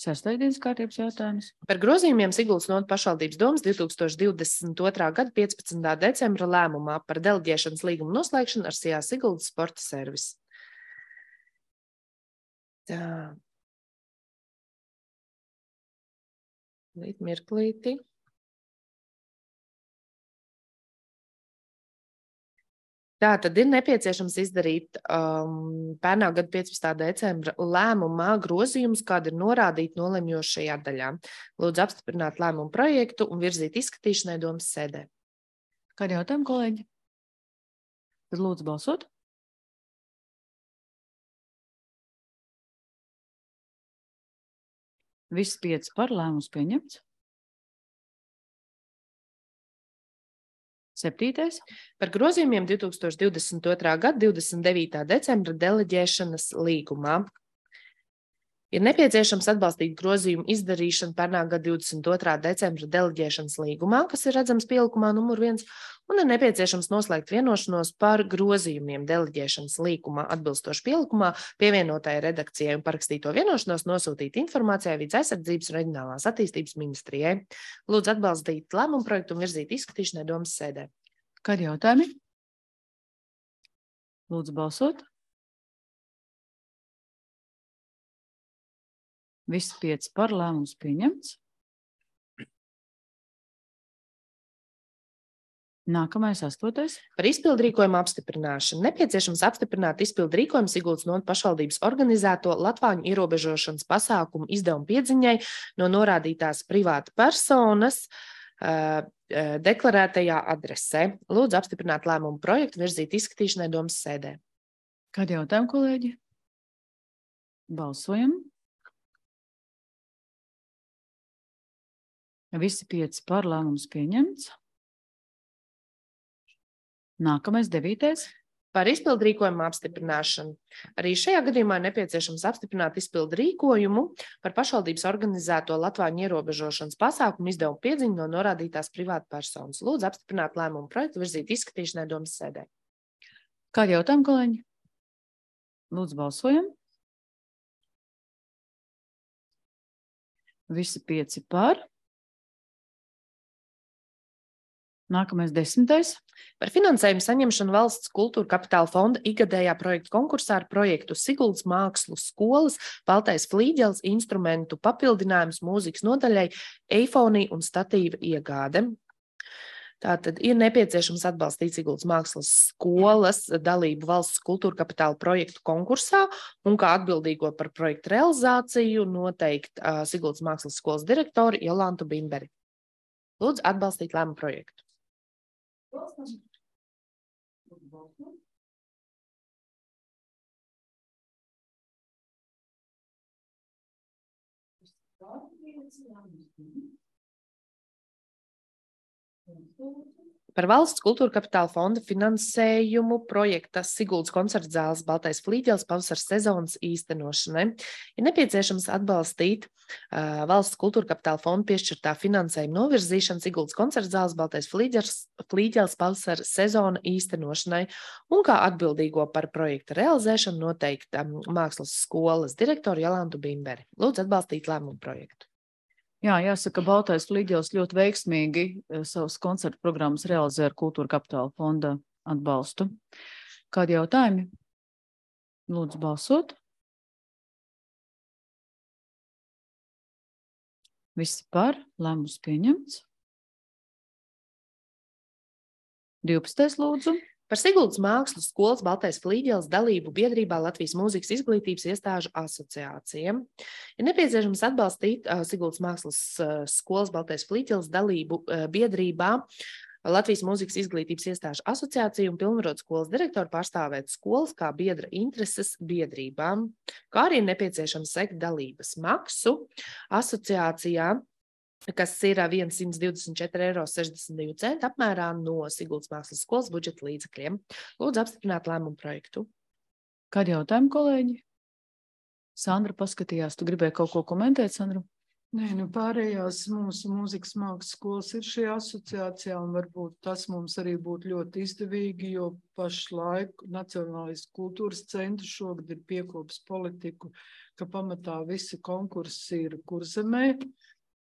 6. dienas kārtības jautājums. Par grozījumiem Siguldas novadas pašvaldības domes 2022. gada 15. decembra lēmumā par deleģēšanas līgumu noslēgšanu ar SIA Siguldas sporta servisu. Tā. Mirklīti. Tā tad ir nepieciešams izdarīt pērnā gada 15. decembra lēmumā grozījumus, kādi ir norādīti nolemjošajā daļā. Lūdzu apstiprināt lēmumu projektu un virzīt izskatīšanai domes sēdē. Kādi jautājumi, kolēģi? Tad lūdzu balsot. Visi 5 par, lēmums pieņemts. 7. Par grozījumiem 2022. gada 29. decembra deleģēšanas līgumā. Ir nepieciešams atbalstīt grozījumu izdarīšanu pērnā gada 22. decembra deleģēšanas līgumā, kas ir redzams pielikumā numur 1, un ir nepieciešams noslēgt vienošanos par grozījumiem deleģēšanas līgumā atbilstoši pielikumā pievienotai redakcijai un parakstīto vienošanos nosūtīt informācijai Vides aizsardzības un reģionālās attīstības ministrijai. Lūdzu atbalstīt lēmumu projektu un virzīt izskatīšanai domas sēdē. Kādi jautājumi? Lūdzu balsot. Visi 5 par, lēmums pieņemts. Nākamais 8. Par izpildrīkojumu apstiprināšanu. Nepieciešams apstiprināt izpildrīkojumu Siguldas novada pašvaldības organizēto latvāņu ierobežošanas pasākumu izdevumu piedziņai no norādītās privāta personas deklarētajā adresē. Lūdzu apstiprināt lēmumu projektu, virzīt izskatīšanai domas sēdē. Kādi jautājumi, kolēģi? Balsojam. Visi 5 par, lēmums pieņemts. Nākamais 9. Par izpildrīkojumu apstiprināšanu. Arī šajā gadījumā ir nepieciešams apstiprināt izpildrīkojumu par pašvaldības organizēto latvāņu ierobežošanas pasākumu izdevumu piedziņu no norādītās privāta personas. Lūdzu apstiprināt lēmumu projektu, virzīt izskatīšanai domas sēdē. Kādi jautājumi, kolēģi? Lūdzu balsojam. Visi 5 par. Nākamais 10. Par finansējumu saņemšanu valsts kultūra kapitāla fonda ikgadējā projekta konkursā ar projektu Siguldas mākslu skolas baltais flīģels instrumentu papildinājums mūzikas nodaļai eifonija un statīva iegāde. Tātad ir nepieciešams atbalstīt Siguldas mākslas skolas dalību valsts kultūra kapitāla projektu konkursā un kā atbildīgo par projektu realizāciju noteikt Siguldas mākslas skolas direktori Jolantu Bimberi. Lūdzu atbalstīt lēmumu projektu. Par valsts kultūra kapitāla fonda finansējumu projekta Siguldas koncerta zāles baltais flīģels pavasaras sezonas īstenošanai ir nepieciešams atbalstīt valsts kultūra kapitāla fonda piešķirtā finansējuma novirzīšanu Siguldas koncerta zāles baltais flīģels pavasaras sezona īstenošanai un kā atbildīgo par projekta realizēšanu noteikta mākslas skolas direktoru Jolantu Bimberi. Lūdzu atbalstīt lēmumu projektu. Jā, jāsaka, baltais flīģels ļoti veiksmīgi savas koncertu programmas realizē ar kultūra kapitāla fonda atbalstu. Kādi jautājumi? Lūdzu balsot. Visi par, lēmums pieņemts. 12. lūdzu. Par Siguldas mākslas skolas baltais flīģels dalību biedrībā Latvijas mūzikas izglītības iestāžu asociācijām. Ir nepieciešams atbalstīt Siguldas mākslas skolas baltais flīģels dalību biedrībā Latvijas mūzikas izglītības iestāžu asociāciju un pilnvarot skolas direktoru pārstāvēt skolas kā biedra intereses biedrībām, kā arī ir nepieciešams sekt dalības maksu asociācijā, kas ir 124,62 € apmērā no Siguldas mākslas skolas budžeta līdzekļiem. Lūdzu apstiprināt lēmumu projektu. Kādi jautājumi, kolēģi? Sandra paskatījās, tu gribēji kaut ko komentēt, Sandra? Nē, pārējās mūsu mūzikas mākslas skolas ir šajā asociācijā, un varbūt tas mums arī būtu ļoti izdevīgi, jo pašlaik Nacionālais kultūras centrs šogad ir piekopis politiku, ka pamatā visi konkursi ir Kurzemē,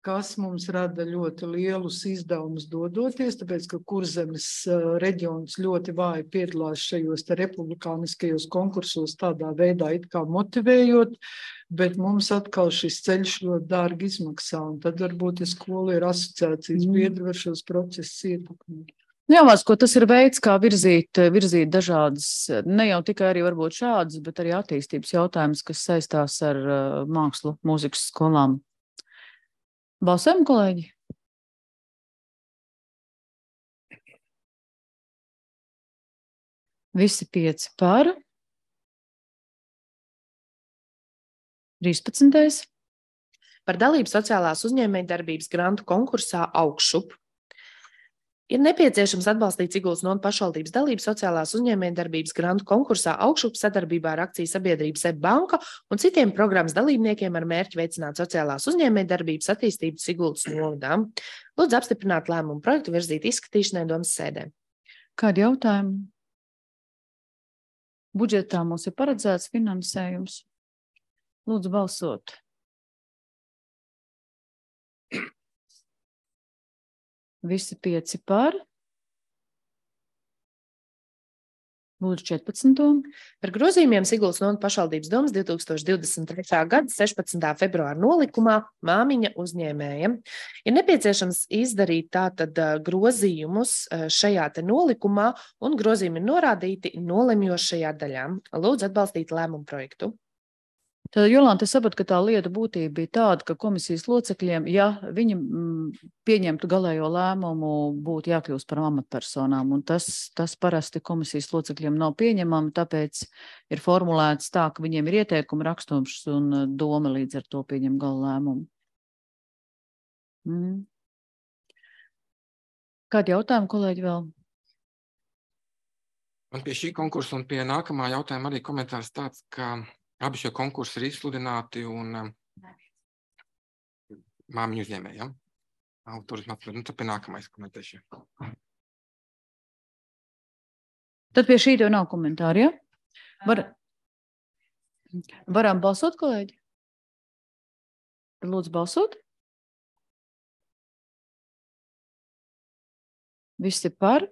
kas mums rada ļoti lielus izdevumus dodoties, tāpēc, ka Kurzemes reģions ļoti vāji piedalās šajos republikāniskajos konkursos tādā veidā it kā motivējot, bet mums atkal šis ceļš ļoti dārgi izmaksā, un tad varbūt skola ir asociācijas biedri var šos procesus ietekmēt. Jā, Vasko, tas ir veids, kā virzīt dažādas, ne jau tikai arī varbūt šādas, bet arī attīstības jautājumus, kas saistās ar mākslu, mūzikas skolām. Balsojam, kolēģi? Visi 5 par. 13. Par dalību sociālās uzņēmējdarbības grantu konkursā Augšup. Ir nepieciešams atbalstīt Siguldas novadas pašvaldības dalību sociālās uzņēmējdarbības grantu konkursā Augšup sadarbībā ar akciju sabiedrību SEB banka un citiem programmas dalībniekiem ar mērķi veicināt sociālās uzņēmējdarbības attīstību Siguldas novadā. Lūdzu apstiprināt lēmumu projektu virzīt izskatīšanai domas sēdē. Kādi jautājumi? Budžetā mums ir paredzēts finansējums. Lūdzu balsot. Visi 5 par. Lūdzu 14. Par grozījumiem Siguldas novadas pašvaldības domas 2023. gada 16. februāra nolikumā māmiņa uzņēmējiem. Ir nepieciešams izdarīt tātad grozījumus šajā te nolikumā, un grozījumi ir norādīti nolemjošajā daļā. Lūdzu atbalstīt lēmumu projektu. Tad, Jolanta, es sapratu, ka tā lieta būtība bija tāda, ka komisijas locekļiem, ja viņi pieņemtu galējo lēmumu, būtu jākļūst par amatpersonām, un tas parasti komisijas locekļiem nav pieņemami, tāpēc ir formulēts tā, ka viņiem ir ieteikumi rakstums un doma līdz ar to pieņem gala lēmumu. Kādi jautājumi, kolēģi, vēl? Man pie šī konkursa un pie nākamā jautājuma arī komentārs tāds, ka abi šie konkursi ir izsludināti un māmiņu uzņēmēji, ja? Turisma atpildi. Nu, tad pie nākamais komentēšu. Tad pie šī tev nav komentāri, ja? Varam balsot, kolēģi? Tad lūdzu balsot. Visi par.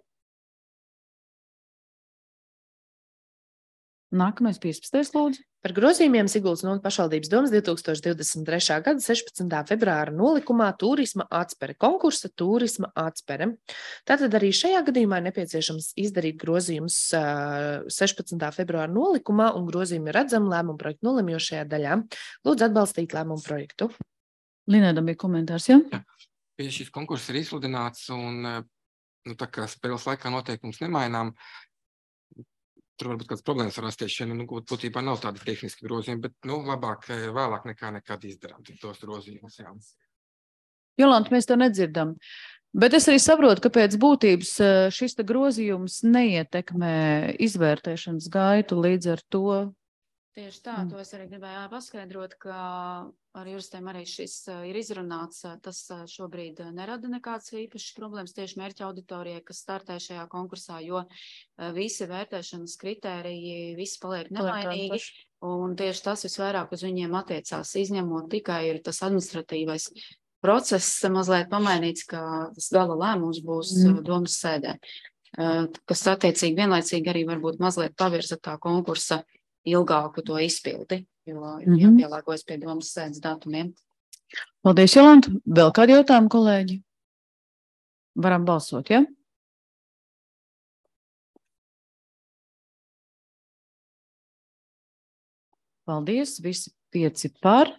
Nākamais 15. lūdzu. Par grozījumiem Siguldas novadas pašvaldības domas 2023. gada 16. februāra nolikumā turisma atspere, konkursa turisma atspere. Tātad arī šajā gadījumā ir nepieciešams izdarīt grozījumus 16. februāra nolikumā, un grozījumi redzam lēmumu projektu nolemjošajā daļā. Lūdzu atbalstīt lēmumu projektu. Linēdam bija komentārs, ja? Jā. Pie šis konkurss ir izsludināts, un tā kā spēles laikā noteikums nemainām, tur varbūt kāds problēmas var rasties šeit, būtībā nav tādi tehniski grozījumi, bet, labāk vēlāk nekā nekad izdarām tos grozījumus, jā. Jolanta, mēs to nedzirdam. Bet es arī saprotu, ka pēc būtības šis te grozījums neietekmē izvērtēšanas gaitu līdz ar to. Tieši tā, to es arī gribēju paskaidrot, ka ar juristiem arī šis ir izrunāts. Tas šobrīd nerada nekāds īpašs problēmas tieši mērķa auditorijai, kas startē šajā konkursā, jo visi vērtēšanas kritēriji, visi paliek nemainīgi. Un tieši tas visvairāk uz viņiem attiecās, izņemot tikai ir tas administratīvais process mazliet pamainīts, ka tas gala lēmums būs domas sēdē, kas attiecīgi vienlaicīgi arī varbūt mazliet pavirza tā konkursa ilgāku to izpildi, jo jāpielāgojas pie domas sēdes datumiem. Paldies, Jolanta. Vēl kādi jautājumi, kolēģi? Varam balsot, ja? Paldies, visi 5 par.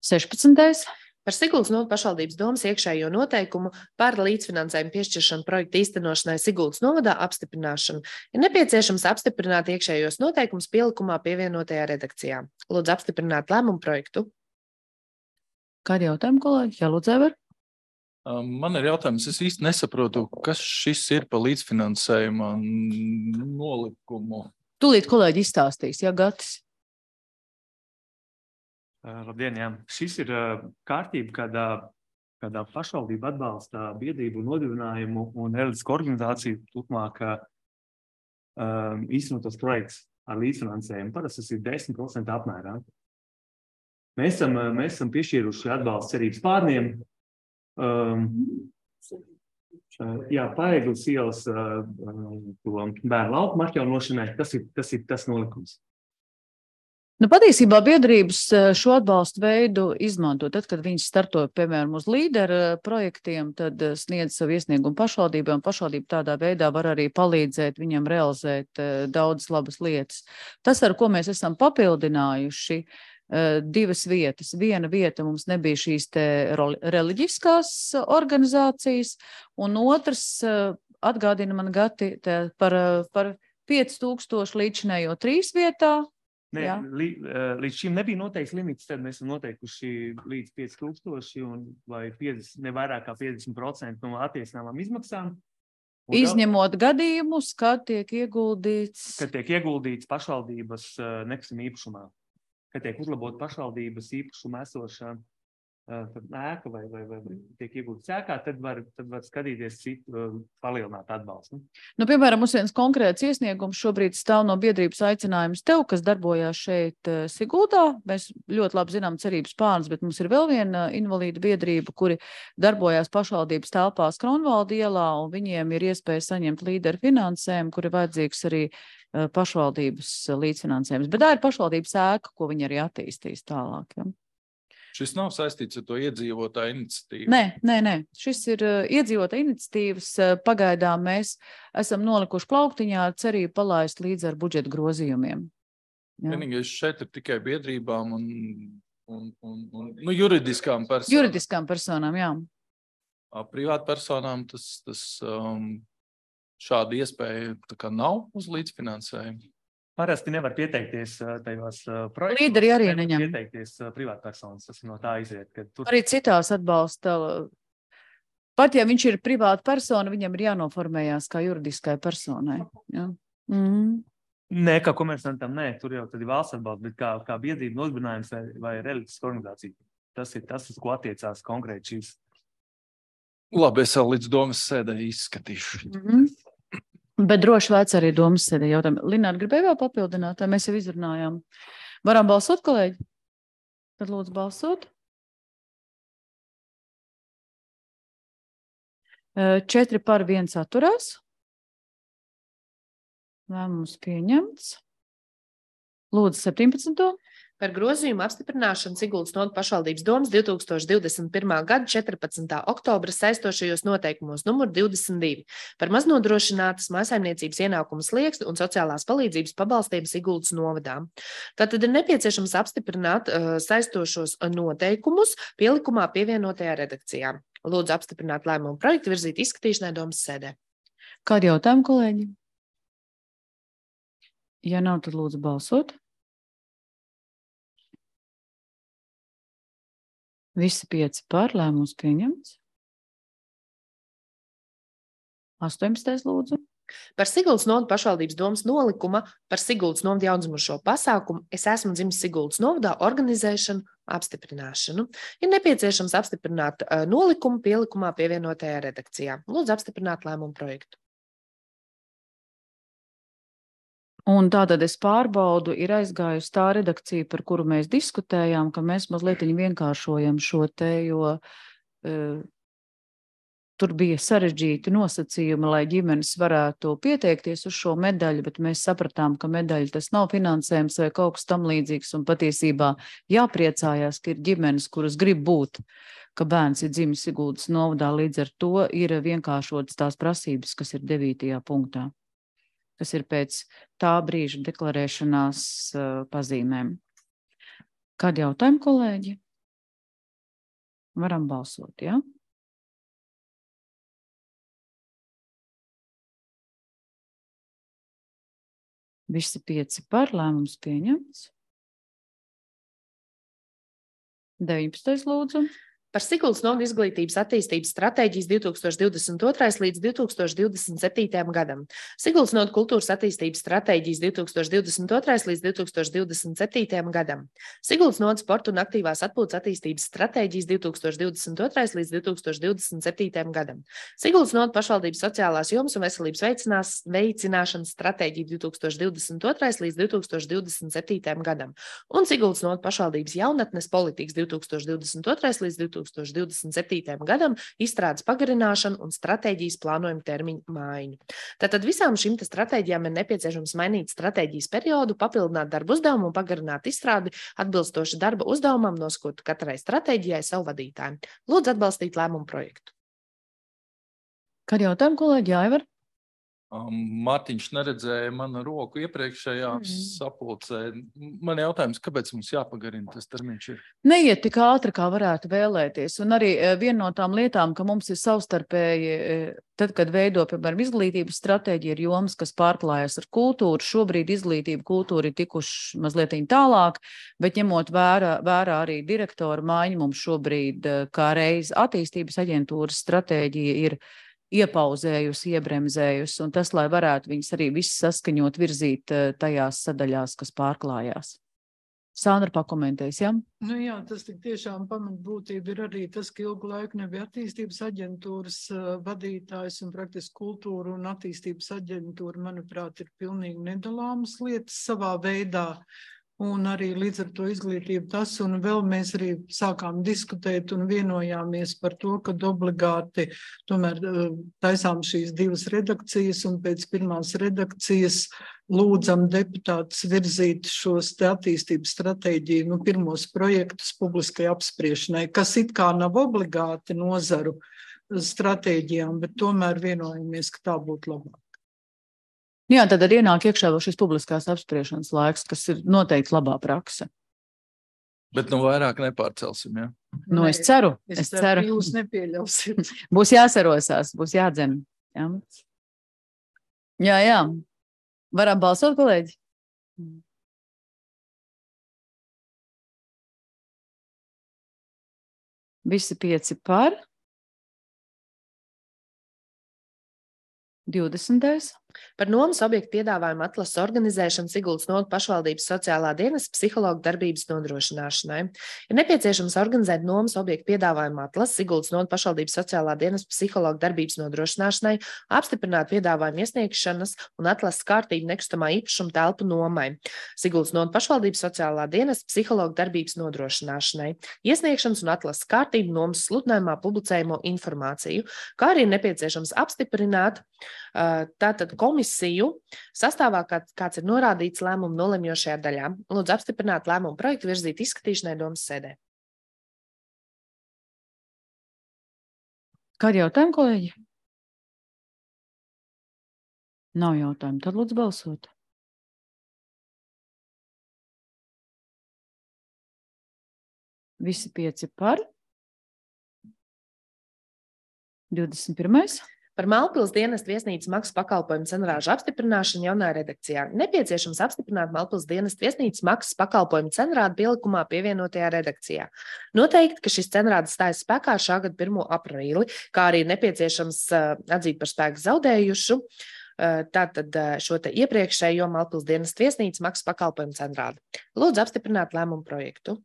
16. Par Siguldas novadas pašvaldības domas iekšējo noteikumu par līdzfinansējumu piešķiršanu projektu īstenošanai Siguldas novadā apstiprināšanu ir nepieciešams apstiprināt iekšējos noteikumus pielikumā pievienotajā redakcijā. Lūdzu apstiprināt lēmumu projektu. Kādi jautājumi, kolēģi? Jā, lūdzu, Ever. Man ir jautājums, es īsti nesaprotu, kas šis ir par līdzfinansējuma nolikumu. Tūlīt kolēģi izstāstīs, ja Gatis? Labdien, jā. Šis ir kārtība, kādā pašvaldība atbalsta biedrību nodibinājumu un reliģisku organizāciju turpmāk īstenotos projekts ar līdzfinansējumu. Parasti tas ir 10% apmērā. Mēs esam piešķīruši atbalstu Cerības pārniem. Paegles ielas bērnu lauku atjaunošanai. Tas ir tas nolikums. Patiesībā biedrības šo atbalstu veidu izmanto. Tad, kad viņi starto, piemēram, uz līderu projektiem, tad sniedz savu iesniegumu pašvaldībai, un pašvaldība tādā veidā var arī palīdzēt viņam realizēt daudzas labas lietas. Tas, ar ko mēs esam papildinājuši, 2 vietas. Viena vieta mums nebija šīs te reliģiskās organizācijas, un otrs atgādina man Gati par 5000 līdzinējo 3 vietā. Nē, Jā. līdz šim nebija noteikts limits, tad mēs esam noteikuši līdz 5000 vai 50, ne vairāk kā 50% no attiecināmām izmaksām. Un Izņemot gadījumus, kad tiek ieguldīts. Kad tiek ieguldīts pašvaldības nekustamā īpašumā, kad tiek uzlabot pašvaldības īpašuma esošā ēka vai tiek ieguldīts ēkā, tad var skatīties citu palielināt atbalstu. Nu, piemēram, mums viens konkrēts iesniegums šobrīd stāv no biedrības aicinājums tev, kas darbojās šeit Siguldā. Mēs ļoti labi zinām Cerības Spārns, bet mums ir vēl viena invalīdu biedrība, kuri darbojās pašvaldības telpās Kronvalda ielā, un viņiem ir iespēja saņemt līderu finansējumu, kuri vajadzīgs arī pašvaldības līdzfinansējums. Bet tā ir pašvaldības ēka, ko viņi arī attīstīs tālāk. Ja? Šis nav saistīts ar to iedzīvotāju iniciatīvu. Nē. Šis ir iedzīvotāju iniciatīvas. Pagaidām mēs esam nolikuši plauktiņā ar cerību palaist līdz ar budžeta grozījumiem. Vienīgais šeit ir tikai biedrībām un juridiskām personām. Juridiskām personām, jā. Privātpersonām tas šāda iespēja tā kā nav uz līdzfinansējumu. Parasti nevar pieteikties tajos projektos. Līderi arī neņem. Pieteikties privātpersonas, tas no tā iziet. Tur... Arī citās atbalsta. Pat ja viņš ir privāta persona, viņam ir jānoformējās kā juridiskai personai. Ja? Nē, kā komersantam, nē, tur jau tad ir valsts atbalsts, bet kā biedrība nodibinājums vai reliģiska organizācija. Tas ir tas, uz ko attiecās konkrēti šīs. Labi, es vēl līdz domas sēdē izskatīšu. Bet droši vēc arī domas sēdē jautājumu. Lināra, gribēja vēl papildināt, vai mēs jau izrunājām? Varam balsot, kolēģi? Tad lūdzu balsot. 4 par 1 atturās. Lēmums pieņemts. Lūdzu 17. Par grozījumu apstiprināšanu Siguldas novadā pašvaldības domas 2021. gada 14. oktobra saistošajos noteikumos numur 22 par maznodrošinātas mājsaimniecības ienākumu slieksni un sociālās palīdzības pabalstiem Siguldas novadā. Tātad ir nepieciešams apstiprināt saistošos noteikumus pielikumā pievienotajā redakcijā. Lūdzu apstiprināt lēmumu projektu virzīt izskatīšanai domas sēdē. Kādi jautājumi, kolēģi? Ja nav, tad lūdzu balsot. Visi 5 par, lēmums pieņemts. 18. lūdzu. Par Siguldas novada pašvaldības domas nolikuma par Siguldas novada jaundzimušo pasākumu Es esmu dzimis Siguldas novadā organizēšanu apstiprināšanu. Ir nepieciešams apstiprināt nolikumu pielikumā pievienotajā redakcijā. Lūdzu apstiprināt lēmumu projektu. Un tātad es pārbaudu, ir aizgājusi tā redakcija, par kuru mēs diskutējām, ka mēs mazliet vienkāršojam šo te, jo tur bija sarežģīti nosacījumi, lai ģimenes varētu pieteikties uz šo medaļu, bet mēs sapratām, ka medaļa tas nav finansējums vai kaut kas tam līdzīgs, un patiesībā jāpriecājās, ka ir ģimenes, kuras grib būt, ka bērns ir dzimis Siguldas novadā, līdz ar to ir vienkāršotas tās prasības, kas ir 9. punktā. Kas ir pēc tā brīža deklarēšanās pazīmēm. Kādi jautājumi, kolēģi? Varam balsot, jā? Visi 5 par, lēmums pieņemts. 19. lūdzu. Par Siguldas novada izglītības attīstības stratēģijas 2022. līdz 2027. gadam. Siguldas novada kultūras attīstības stratēģijas 2022. līdz 2027. gadam. Siguldas novada sporta un aktīvās atpūtas attīstības stratēģijas 2022. līdz 2027. gadam. Siguldas novada pašvaldības sociālās jomas un veselības veicināšanas stratēģija 2022. līdz 2027. gadam. Un Siguldas novada pašvaldības jaunatnes politikas 2022. līdz 2027. gadam izstrādes pagarināšanu un stratēģijas plānojumu termiņu maiņu. Tātad visām šīm stratēģijām ir nepieciešams mainīt stratēģijas periodu, papildināt darba uzdevumu un pagarināt izstrādi atbilstoši darba uzdevumam, nosakot katrai stratēģijai savu vadītāju. Lūdzu atbalstīt lēmumu projektu. Kādi jautājumi, kolēģi? Aivar? Mārtiņš neredzēja manu roku iepriekšējā sapulcē. Man jautājums, kāpēc mums jāpagarina tas termiņš ir? Neiet tik ātri, kā varētu vēlēties. Un arī viena no tām lietām, ka mums ir savstarpēji, tad, kad veido, piemēram, izglītības stratēģija, ir jomas, kas pārklājas ar kultūru. Šobrīd izglītība, kultūra ir tikuši mazliet tālāk, bet ņemot vērā arī direktoru maiņu, mums šobrīd kā reiz attīstības aģentūras stratēģija ir iepauzējusi, iebremzējusi, un tas, lai varētu viņas arī viss saskaņot, virzīt tajās sadaļās, kas pārklājās. Sandra pakomentēs, jā? Nu jā, tas tik tiešām pamatbūtība ir arī tas, ka ilgu laiku nebija attīstības aģentūras vadītājs, un praktiski kultūra un attīstības aģentūra, manuprāt, ir pilnīgi nedalāmas lietas savā veidā. Un arī līdz ar to izglītību tas, un vēl mēs arī sākām diskutēt un vienojāmies par to, ka obligāti tomēr taisām šīs divas redakcijas, un pēc pirmās redakcijas lūdzam deputātus virzīt šos te attīstības stratēģiju, pirmos projektus publiskai apspriešanai, kas it kā nav obligāti nozaru stratēģijām, bet tomēr vienojamies, ka tā būtu labāk. Jā, tad arī ienāk iekšā vēl šis publiskās apspriešanas laiks, kas ir noteikti labā prakse. Bet vairāk nepārcelsim, jā? Es ceru. Es ceru, ka jūs nepieļausiet. Būs jāsarosās, būs jādzen. Jā. Varam balsot, kolēģi? Visi 5 par. 20. Par nomas objektu piedāvājumu atlases organizēšanu Siguldas novadas pašvaldības sociālā dienesta psihologa darbības nodrošināšanai. Ir nepieciešams organizēt nomas objektu piedāvājumu atlases Siguldas novadas pašvaldības sociālā dienesta psihologa darbības nodrošināšanai, apstiprināt piedāvājumu iesniegšanas un atlases kārtību nekustamā īpašuma telpu nomai. Siguldas novadas pašvaldības sociālā dienesta psihologa darbības nodrošināšanai, iesniegšanas un atlases kārtību nomas sludinājumā publicējamo informāciju, kā arī nepieciešams apstiprināt tātad komisiju sastāvā, kāds ir norādīts lēmumu nolemjošajā daļā. Lūdzu apstiprināt lēmumu projektu virzīt izskatīšanai domas sēdē. Kādi jautājumi, kolēģi? Nav jautājumu, tad lūdzu balsot. Visi 5 par. 21. Par Malpils dienesta viesnīcas maksas pakalpojumu cenrāžu apstiprināšanu jaunā redakcijā. Nepieciešams apstiprināt Malpils dienesta viesnīcas maksas pakalpojumu cenrādu pielikumā pievienotajā redakcijā. Noteikti, ka šis cenrāds stājas spēkā šā gada 1. aprīli, kā arī nepieciešams atzīt par spēku zaudējušu tātad šo te iepriekšējo Malpils dienesta viesnīcas maksas pakalpojumu cenrādu. Lūdzu apstiprināt lēmumu projektu.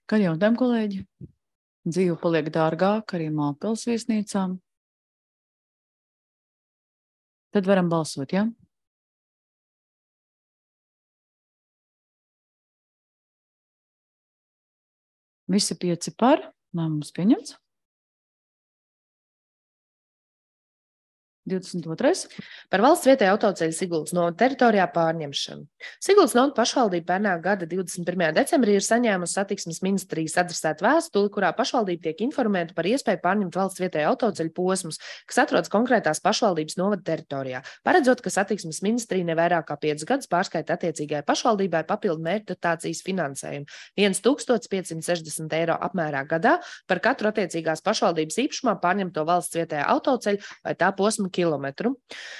Kā jautājumi, kolēģi? Dzīve paliek dārgāk arī Malpils viesnīcām. Tad varam balsot, jā? Visi 5 par, lēmums pieņemts. 22. Par valsts vietēju autoceļu Siguldas novada teritorijā pārņemšanu. Siguldas novada pašvaldība pērnā gada 21. decembrī ir saņēmusi satiksmes ministrijas adresētu vēstuli, kurā pašvaldība tiek informēta par iespēju pārņemt valsts vietēju autoceļu posmus, kas atrodas konkrētās pašvaldības novada teritorijā, paredzot, ka satiksmes ministrija nevairāk kā 5 gadus pārskaita attiecīgai pašvaldībai papildu mērķu dotācijas finansējumu 1560 eiro apmērā gadā par katru attiecīgās pašvaldības īpašumā pārņemto valsts vietējā autoceļu vai tā posma kilometru.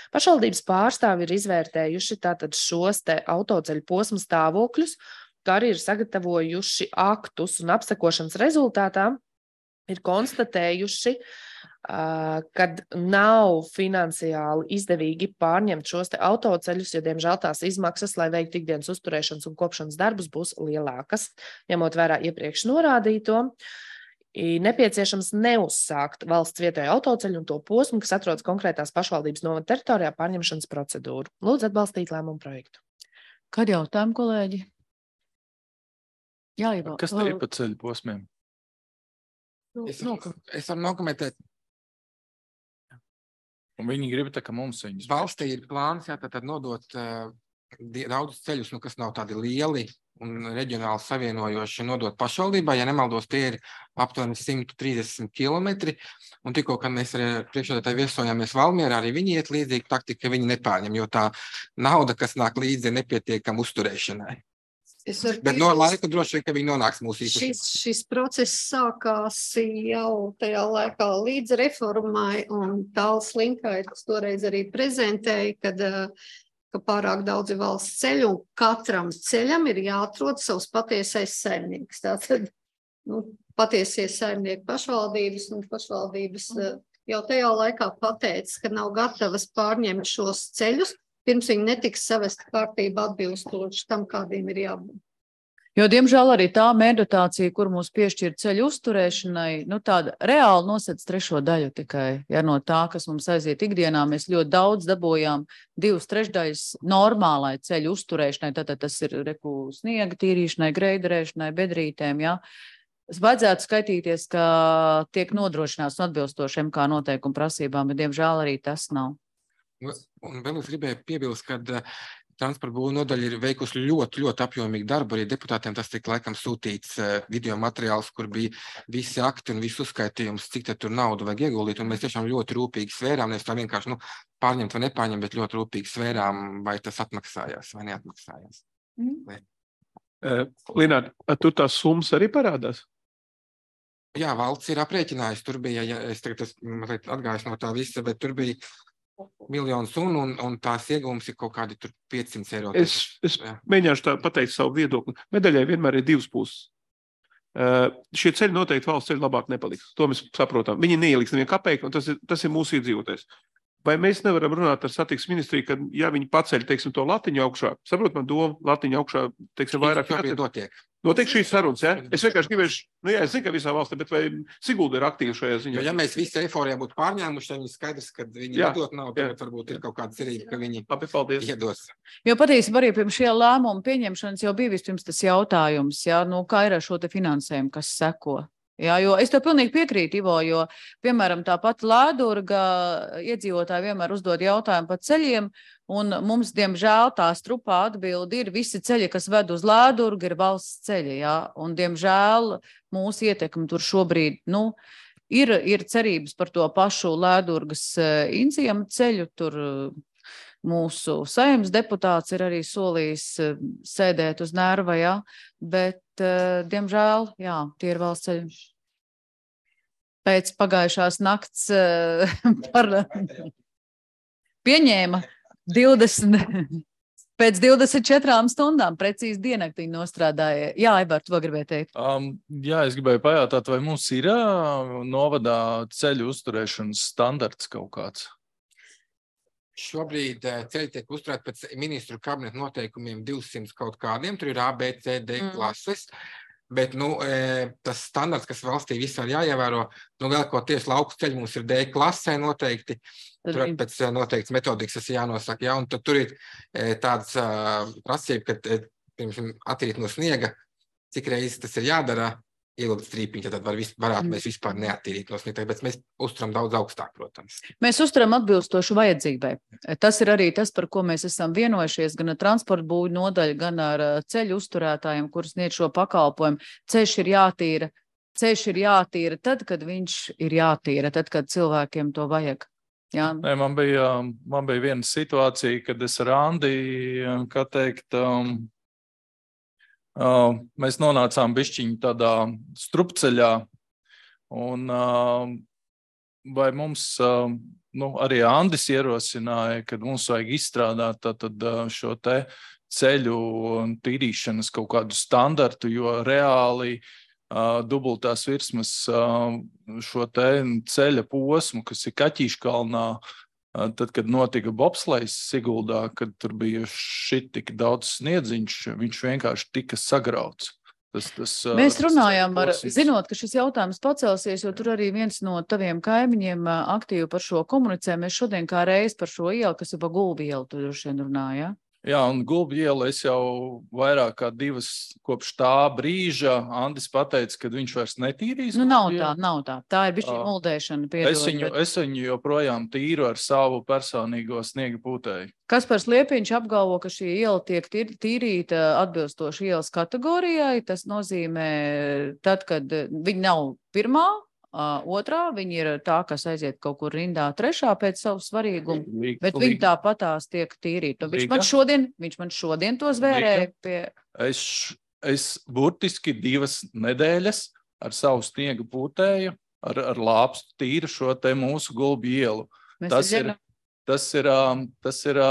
Pašvaldības pārstāvi ir izvērtējuši tātad šos te autoceļu posmu stāvokļus, kā arī ir sagatavojuši aktus un apsekošanas rezultātā ir konstatējuši, kad nav finansiāli izdevīgi pārņemt šos te autoceļus, jo, diemžēl, tās izmaksas, lai veiktu ikdienas uzturēšanas un kopšanas darbus, būs lielākas, ņemot vērā iepriekš norādīto. Nepieciešams neuzsākt valsts vietējo autoceļu un to posmu, kas atrodas konkrētās pašvaldības novada teritorijā pārņemšanas procedūru. Lūdzu atbalstīt lēmumu projektu. Kādi jautājumi, kolēģi? Jā, Ivo. Kas te ir pa ceļu posmiem? Es varu nokomentēt. Un viņi grib tā, ka mums viņus... Valstī ir plāns, jā, tad nodot daudz ceļus, kas nav tādi lieli un reģionāli savienojoši nodot pašvaldībā. Ja nemaldos, tie ir aptuveni 130 kilometri. Un tikko, kad mēs arī priekšsēdētāji viesojāmies Valmierā, arī viņi iet līdzīgi taktika, ka viņi nepārņem, jo tā nauda, kas nāk līdzi, ir nepietiekama uzturēšanai. Bet no laika droši vien, ka viņi nonāks mūsu īpašībā. Šis process sākās jau tajā laikā līdz reformai, un Tāls Linkaitis toreiz arī prezentēja, ka pārāk daudzi valsts ceļu, un katram ceļam ir jāatrod savs patiesais saimnieks. Tātad, patiesie saimnieki pašvaldības, un pašvaldības jau tajā laikā pateica, ka nav gatavas pārņemt šos ceļus, pirms viņi netiks savest kārtība atbilstoši tam, kādiem ir jābūt. Jo, diemžēl, arī tā mērdotācija, kur mūs piešķir ceļu uzturēšanai, tāda reāli nosedz 3 daļu tikai. Ja no tā, kas mums aiziet ikdienā, mēs ļoti daudz dabojām 2/3 normālai ceļu uzturēšanai, tātad tas ir sniega tīrīšanai, greiderēšanai, bedrītēm, ja. Vajadzētu skaitīties, ka tiek nodrošināts atbilstošiem kā noteikumu prasībām, bet, diemžēl, arī tas nav. Un vēl es gribēju piebilst, ka transporta būvniecības nodaļa ir veikusi ļoti, ļoti apjomīgu darbu. Arī deputātiem tas tika laikam sūtīts video materiāls, kur bija visi akti un visu uzskaitījums, cik tur naudu vajag ieguldīt. Un mēs tiešām ļoti rūpīgi svērām, nevis tā vienkārši pārņemt vai nepārņemt, bet ļoti rūpīgi svērām, vai tas atmaksājās vai neatmaksājās. Lināt, tur tās summas arī parādās? Jā, valsts ir aprēķinājusi. Tur bija, es tagad mazliet atgājuši no tā visa, bet tur bija miljonu sunu, un tās ieguvums ir kaut kādi 500 eiro. Es mēģināšu tā pateikt savu viedokli. Medaļai vienmēr ir 2 puses. Šie ceļi noteikti valsts ceļi labāk nepaliks. To mēs saprotam. Viņi neieliks nevienu kapeiku, un tas ir mūsu iedzīvotājs. Vai mēs nevaram runāt ar satiksmes ministriju, ka, ja viņi paceļ, teiksim, to latiņu augšā, saprot man domu, latiņu augšā, teiksim, vairāk notiek šīs sarunas, ja? Es vienkārši gribēšu, es zinu, ka visā valstī, bet vai Sigulda ir aktīva šajā ziņā? Jo, ja mēs visi eiforijā būtu pārņēmuši, tad viņi skaidrs, ka viņi nedot nav, tad varbūt ir kaut kāda cerība, ka viņi iedos. Jo patiesībā arī pirms šie lēmumu pieņemšanas jau bija vispirms tas jautājums, ja, kā ir ar šo te finansējumu, kas seko. Jā, jo es tev pilnīgi piekrītu, Ivo, jo, piemēram, tāpat Lēdurga iedzīvotāji vienmēr uzdod jautājumu par ceļiem, un mums, diemžēl, tā strupā atbildi ir visi ceļi, kas ved uz Lēdurgu, ir valsts ceļi, jā, un, diemžēl, mūsu ietekmi tur šobrīd, ir cerības par to pašu Lēdurgas Inziema ceļu, tur mūsu saimnes deputāts ir arī solījis sēdēt uz nerva, jā, bet, diemžēl, jā, tie ir valsts ceļi. Pēc pagājušās nakts pieņēma 20, pēc 24 stundām precīzi diennaktiņu nostrādāja. Jā, Aibar, tu vēl gribēji teikt? Jā, es gribēju pajautāt, vai mums ir novadā ceļu uzturēšanas standarts kaut kāds? Šobrīd ceļi tiek uzturēti pēc ministru kabineta noteikumiem 200 kaut kādiem, tur ir A, B, C, D klases, bet, tas standarts, kas valstī visā jāievēro, vēl ko tieši lauku ceļi mums ir D klasē noteikti, tur pēc noteikts metodikas tas jānosaka, jā, un tad tur ir tāds prasība, ka pirms attīrīt no sniega, cik reizes tas ir jādara, ielūdz strīpiņu, tad varētu mēs vispār neattīrīt no sniega, bet mēs uzturam daudz augstāk, protams. Mēs uzturam atbilstošu vajadzībai. Tas ir arī tas, par ko mēs esam vienojušies gan ar transporta būvju nodaļu, gan ar ceļu uzturētājiem, kurus sniedz šo pakalpojumu. Ceļš ir jātīra tad, kad viņš ir jātīra, tad, kad cilvēkiem to vajag. Jā. Nē, man bija viena situācija, kad es ar Andi, kā teikt, mēs nonācām bišķiņu tādā strupceļā, un vai mums, arī Andis ierosināja, kad mums vajag izstrādāt tātad šo te ceļu tīrīšanas kaut kādu standartu, jo reāli dubultās virsmas šo te ceļa posmu, kas ir Kaķīškalnā, tad, kad notika bobslejs Siguldā, kad tur bija tik daudz sniedziņš, viņš vienkārši tika sagrauts. Mēs runājām, zinot, ka šis jautājums pacelsies, jo tur arī viens no taviem kaimiņiem aktīvi par šo komunicē. Mēs šodien kā reiz par šo ielu, kas ir pa Gulbi ielu, tu droši vien runāja. Jā, un Gulbju ielu es jau vairāk kā 2 kopš tā brīža Andis pateica, ka viņš vairs netīrīs. Nu, nav tā. Tā ir bišķi muldēšana, piedod. Es viņu joprojām tīru ar savu personīgo sniega pūtēju. Kaspars Liepiņš apgalvo, ka šī iela tiek tīrīta atbilstoši ielas kategorijai. Tas nozīmē, tad, kad viņi nav pirmā, otrā, viņi ir tā, kas aiziet kaut kur rindā trešā pēc savu svarīgumu, bet viņi tāpatās tiek tīrīti. Viņš man šodien to zvērēja pie... Es burtiski 2 nedēļas ar savu sniega pūtēju, ar lāpstu tīru šo te mūsu Gulbju ielu. Tas ir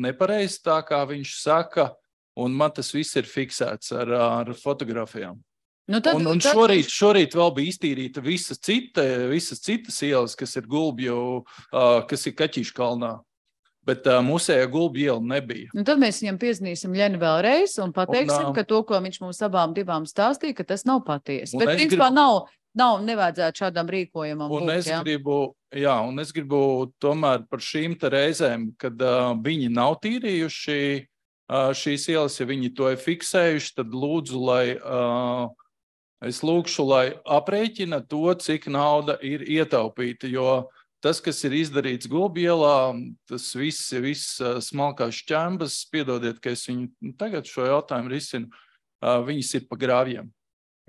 nepareizi tā, kā viņš saka, un man tas viss ir fiksēts ar fotografijām. Un šorīt vēl bija iztīrīta visas citas ielas, kas ir Gulbju, kas ir Kaķīšu kalnā. Bet mūsējā Gulbju iela nebija. Tad mēs viņam piezinīsim Ļeni vēlreiz un pateiksim, ka to, ko viņš mums abām divām stāstīja, ka tas nav patiesi. Bet principā nevajadzētu šādam rīkojumam būt. Un es gribu tomēr par šīm te reizēm, kad viņi nav tīrījuši šīs ielas, ja viņi to ir fiksējuši, tad lūdzu, es lūkšu, lai aprēķina to, cik nauda ir ietaupīta, jo tas, kas ir izdarīts Gulbju ielā, tas viss smalkās šķembas, piedodiet, ka es viņu tagad šo jautājumu risinu, viņas ir pa grāvjiem.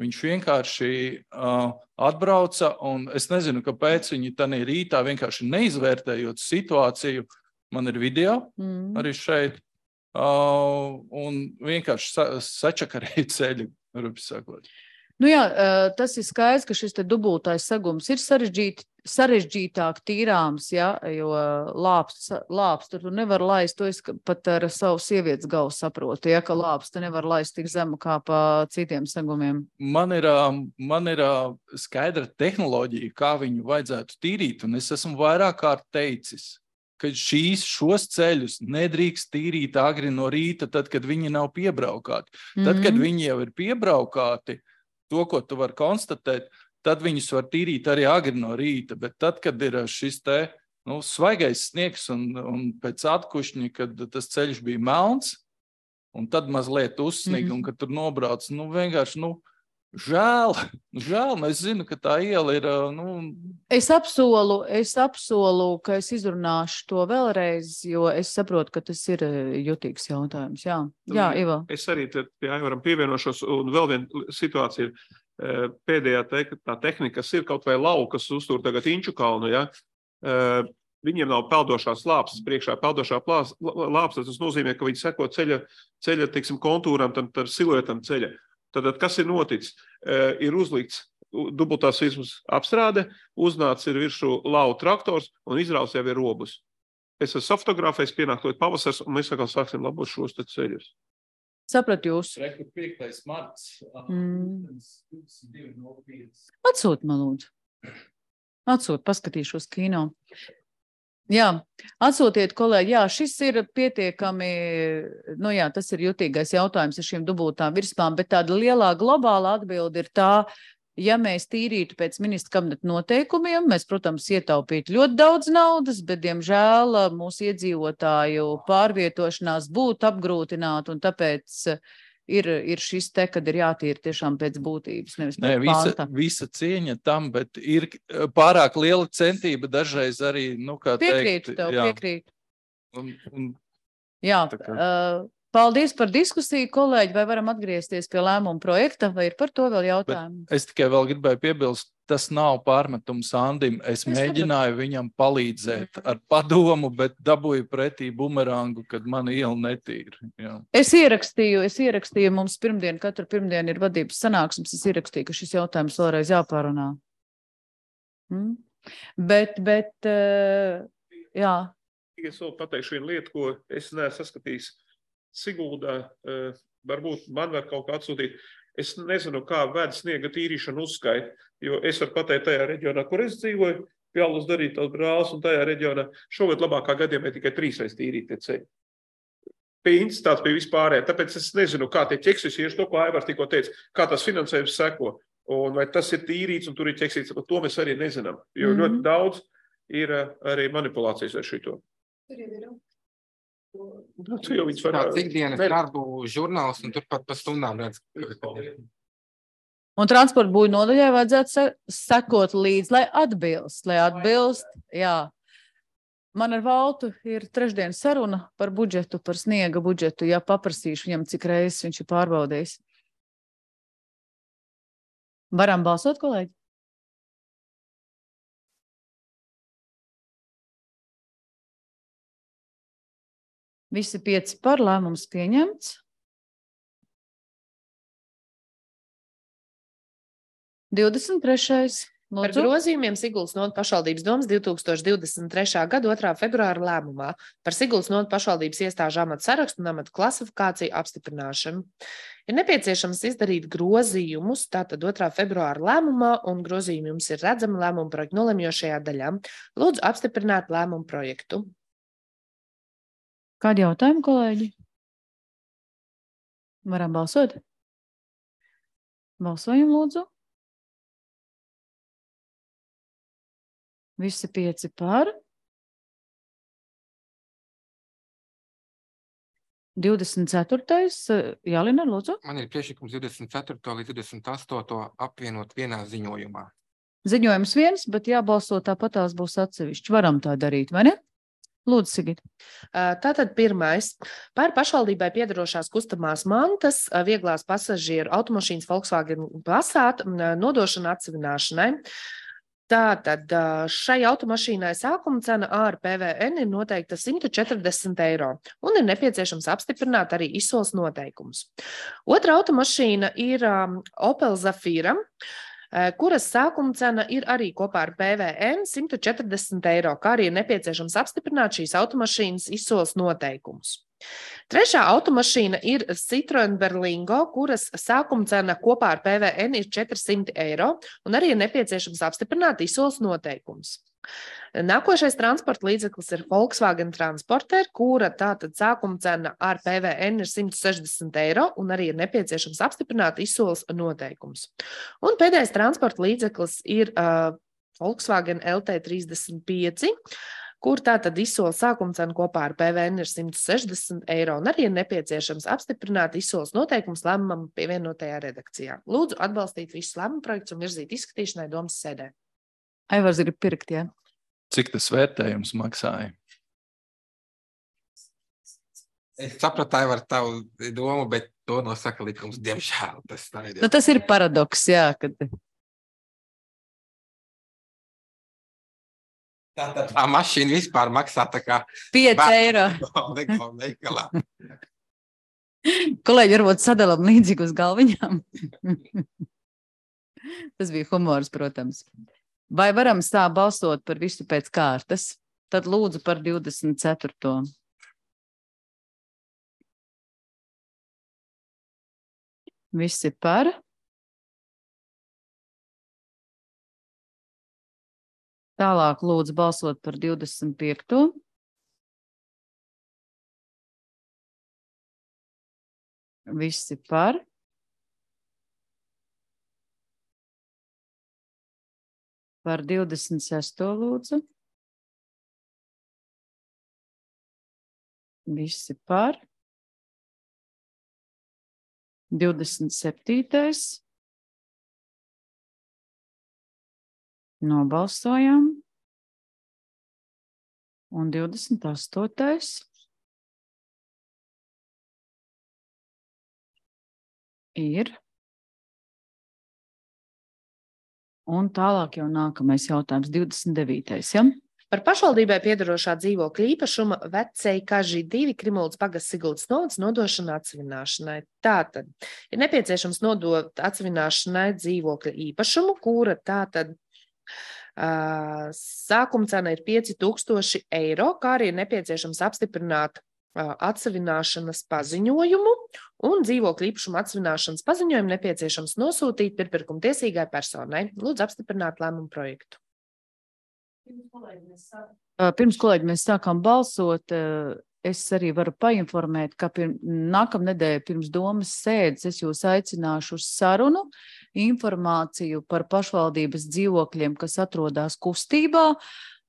Viņš vienkārši atbrauca, un es nezinu, kāpēc viņi tanī rītā vienkārši neizvērtējot situāciju, man ir video arī šeit, un vienkārši sačakarēja ceļu, rupi sakot. Nu jā, tas ir skaidrs, ka šis te dubultais segums ir sarežģītāk tīrāms, ja, jo lāpstu tu nevar laist, to es pat ar savu sievietes galvu saprotu, ja, ka lāpstu nevar laist tik zemu kā pa citiem segumiem. Man ir skaidra tehnoloģija, kā viņu vajadzētu tīrīt, un es esmu vairāk kārt teicis, ka šos ceļus nedrīkst tīrīt agri no rīta, tad, kad viņi nav piebraukāti. Tad, kad viņi jau ir piebraukāti, to, ko tu vari konstatēt, tad viņus var tīrīt arī agri no rīta, bet tad, kad ir šis te svaigais sniegs un pēc atkušņa, kad tas ceļš bija melns, un tad mazliet uzsniga, un kad tur nobrauc, vienkārši, žēl, es zinu, ka tā iela ir, Es apsolu, ka es izrunāšu to vēlreiz, jo es saprotu, ka tas ir jutīgs jautājums. Jā, Ivo. Es arī pie Aivaram pievienošos, un vēl viena situācija ir pēdējā tā tehnika, kas ir kaut vai laukas uztur tagad Inču kalnu, ja? Viņiem nav peldošās lāpstas priekšā, peldošā lāpstas, tas nozīmē, ka viņi seko ceļa teiksim, kontūram, tam siluetam ceļa. Tad, kas ir noticis? Ir uzlikts dubultās virsmas apstrāde, uznācis ir virsū lau traktors un izrauts jau ir robus. Es esmu fotografējis, pienāk to pavasars, un mēs atkal sāksim labot šos te ceļus. Saprat jūs. 5. marts. Atsūt man lūdzu. Paskatīšos kino. Jā, atsūtiet, kolēģi, šis ir pietiekami, tas ir jutīgais jautājums ar šīm dubultām virsmām, bet tāda lielā globāla atbilde ir tā, ja mēs tīrītu pēc ministra kabineta noteikumiem, mēs, protams, ietaupītu ļoti daudz naudas, bet, diemžēl, mūsu iedzīvotāju pārvietošanās būtu apgrūtināta, un tāpēc ir šis te, kad ir jātīra tiešām pēc būtības, nevis pēc panta. Visa cieņa tam, bet ir pārāk liela centība dažreiz arī, kā piekrītu tev, piekrītu. Jā, paldies par diskusiju, kolēģi, vai varam atgriezties pie lēmuma projekta, vai ir par to vēl jautājumi? Bet es tikai vēl gribēju piebilst, tas nav pārmetums Andim. Es mēģināju viņam palīdzēt ar padomu, bet dabūju pretī bumerangu, kad mana iela netīra. Jā. Es ierakstīju, mums katru pirmdienu ir vadības sanāksmes, es ierakstīju, ka šis jautājums vēlreiz jāpārunā. Bet, jā. Es vēl pateikšu vienu lietu, ko es neesmu saskatījis Siguldā, varbūt man var kaut kā atsūtīt. Es nezinu, kā ved sniega tīrīšanu uzskait, jo es varu pateikt tajā reģionā, kur es dzīvoju, Pjālus darīt tās brālis, un tajā reģionā šogad labākā gadījumā tikai 3 reiz tīrīt tie ceļi. Pie intensitātes pie vispārējā, tāpēc es nezinu, kā tie ķeksis ir, to, ko Aivars tikko teica, kā tas finansējums seko, un vai tas ir tīrīts, un tur ir ķeksīts, to mēs arī nezinām, jo ļoti daudz ir arī manipulācijas ar šito. Tu jau viņus var... Tāds ikdienas darbu žurnāls, un turpat pa stundām redz. Un transporta būju nodaļai vajadzētu sekot līdz, lai atbilst, jā. Man ar Valtu ir trešdien saruna par budžetu, par sniega budžetu, ja paprasīšu viņam, cik reizes viņš ir pārbaudījis. Varam balsot, kolēģi? Visi 5 par, lēmums pieņemts. 23. Par grozījumiem Siguldas novadas pašvaldības domas 2023. gada 2. februāra lēmumā par Siguldas novadas pašvaldības iestāžu amatu sarakstu un amatu klasifikāciju apstiprināšanu. Ir nepieciešams izdarīt grozījumus, tātad 2. februāra lēmumā, un grozījumi jums ir redzami lēmumu projektu nolemjošajā daļā. Lūdzu apstiprināt lēmumu projektu. Kādi jautājumi, kolēģi? Varam balsot? Balsojam, lūdzu. Visi 5 par. 24. Jālina, lūdzu. Man ir priekšlikums 24. līdz 28. apvienot vienā ziņojumā. Ziņojums viens, bet jābalso tāpatās būs atsevišķi. Varam tā darīt, vai ne? Lūdzu, Sigit. Tātad pirmais. Par pašvaldībai piedarošās kustamās mantas, vieglās pasažieru automašīnas Volkswagen Passat nodošana atsevināšanai. Tātad šai automašīnai sākuma cena ar PVN ir noteikta 140 eiro un ir nepieciešams apstiprināt arī izsoles noteikumus. Otra automašīna ir Opel Zafira, kuras sākuma cena ir arī kopā ar PVN 140 eiro, kā arī ir nepieciešams apstiprināt šīs automašīnas izsoles noteikumus. Trešā automašīna ir Citroen Berlingo, kuras sākuma cena kopā ar PVN ir 400 eiro, un arī ir nepieciešams apstiprināt izsoles noteikumus. Nākošais transporta līdzeklis ir Volkswagen Transporter, kura tātad sākuma cena ar PVN ir 160 eiro, un arī ir nepieciešams apstiprināt izsoles noteikumus. Un pēdējais transporta līdzeklis ir Volkswagen LT35, kur tātad izsoles sākuma cena kopā ar PVN ir 160 eiro, un arī ir nepieciešams apstiprināt izsoles noteikumus lēmumam pievienotajā redakcijā. Lūdzu atbalstīt visus lēmumu projektus un virzīt izskatīšanai domas sēdē. Aivars grib pirkt, jā. Cik tas vērtējums maksāja? Es sapratu, Aivar, tavu domu, bet to nosaka likums, diemžēl. Tas ir paradoks, jā, kad... Tā mašīna vispār maksā tā kā... 5 eiro. Kolēģi, varbūt sadalam līdzīgi uz galviņām. Tas bija humors, protams. Vai varam balsot par visu pēc kārtas? Tad lūdzu par 24. Visi par. Tālāk lūdzu balsot par 25. Visi par. Par 26. lūdzu. Visi par. 27. Nobalsojam. Un 28. Ir. Un tālāk jau nākamais jautājums, 29. Ja? Par pašvaldībai piedarošā dzīvokļa īpašuma Vecei-Kažī 2 Krimuldas pagasts Siguldas novads nodošana atsevināšanai. Tātad ir nepieciešams nodot atsevināšanai dzīvokļa īpašumu, kura tātad sākuma cena ir 5000 eiro, kā arī ir nepieciešams apstiprināt atsevināšanas paziņojumu, un dzīvokļa īpašuma atsevināšanas paziņojumu nepieciešams nosūtīt pirpirkuma tiesīgai personai. Lūdzu apstiprināt lēmumu projektu. Pirms, kolēģi, mēs sākām balsot, es arī varu painformēt, ka nākamnedēļ pirms domas sēdes es jūs aicināšu uz sarunu, informāciju par pašvaldības dzīvokļiem, kas atrodas kustībā,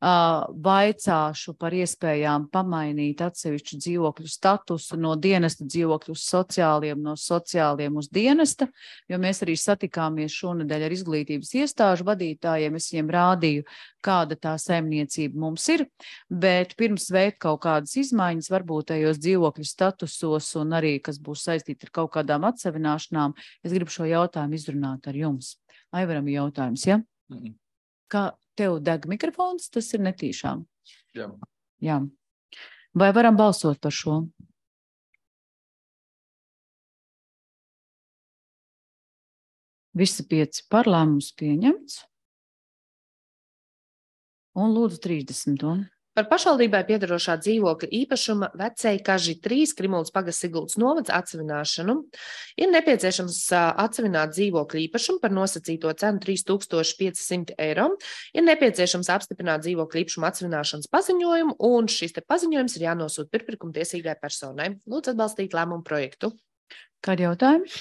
vaicāšu par iespējām pamainīt atsevišķu dzīvokļu statusu no dienesta dzīvokļu uz sociāliem, no sociāliem uz dienesta, jo mēs arī satikāmies šonedēļ ar izglītības iestāžu vadītājiem. Es viņiem rādīju, kāda tā saimniecība mums ir, bet pirms veikt kaut kādas izmaiņas, varbūt tajos dzīvokļu statusos un arī, kas būs saistīti ar kaut kādām atsevināšanām, es gribu šo jautājumu izrunāt ar jums. Aivaram jautājums, ja? Kā tev deg mikrofons, tas ir netīšām. Jā. Vai varam balsot par šo? Visi 5 par, lēmums pieņemts. Un lūdzu 30. Par pašvaldībai piedarošā dzīvokļa īpašuma Vecēji Kaži 3 Krimuldas pagasts Siguldas novads atsevināšanu ir nepieciešams atsevināt dzīvokļa īpašumu par nosacīto cenu 3500 eiro. Ir nepieciešams apstiprināt dzīvokļa īpašuma atsevināšanas paziņojumu, un šis te paziņojums ir jānosūta pirmpirkuma tiesīgai personai. Lūdzu atbalstīt lēmumu projektu. Kādi jautājumi?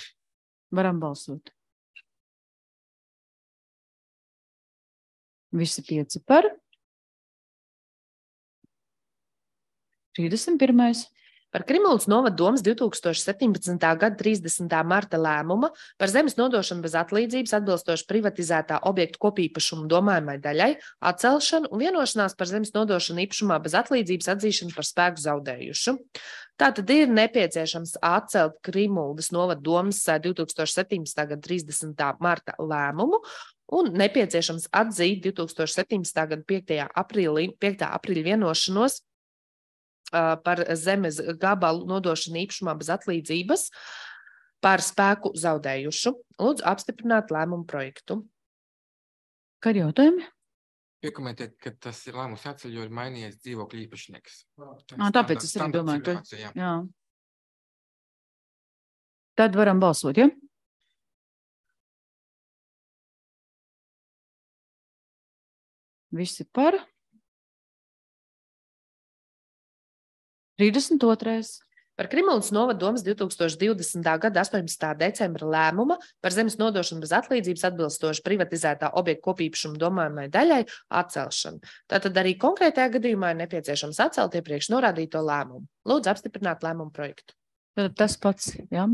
Varam balsot. Visi 5 par. 31. Par Krimuldas novada domas 2017. gada 30. marta lēmuma par zemes nodošanu bez atlīdzības atbilstoši privatizētā objektu kopīpašumu domājamai daļai, atcelšanu un vienošanās par zemes nodošanu īpašumā bez atlīdzības atzīšanu par spēku zaudējušu. Tātad ir nepieciešams atcelt Krimuldas novada domas 2017. gada 30. marta lēmumu un nepieciešams atzīt 2017. gada 5. aprīļa vienošanos par zemes gabalu nodošanu īpašumā bez atlīdzības par spēku zaudējušu. Lūdzu apstiprināt lēmumu projektu. Kādi jautājumi? Piekomentēt, ka tas ir lēmums jāceļ, jo ir mainījies dzīvokļu īpašnieks. Tāpēc es arī domāju, ka... Jā. Tad varam balsot, ja? Visi par. 32. Par Krimuldas novada domas 2020. gada 18. decembra lēmuma par zemes nodošanu bez atlīdzības atbilstoši privatizētā objekta kopīpašuma domājamai daļai atcelšanu. Tātad arī konkrētajā gadījumā ir nepieciešams atcelt iepriekš norādīto lēmumu. Lūdzu apstiprināt lēmumu projektu. Tad tas pats, jā?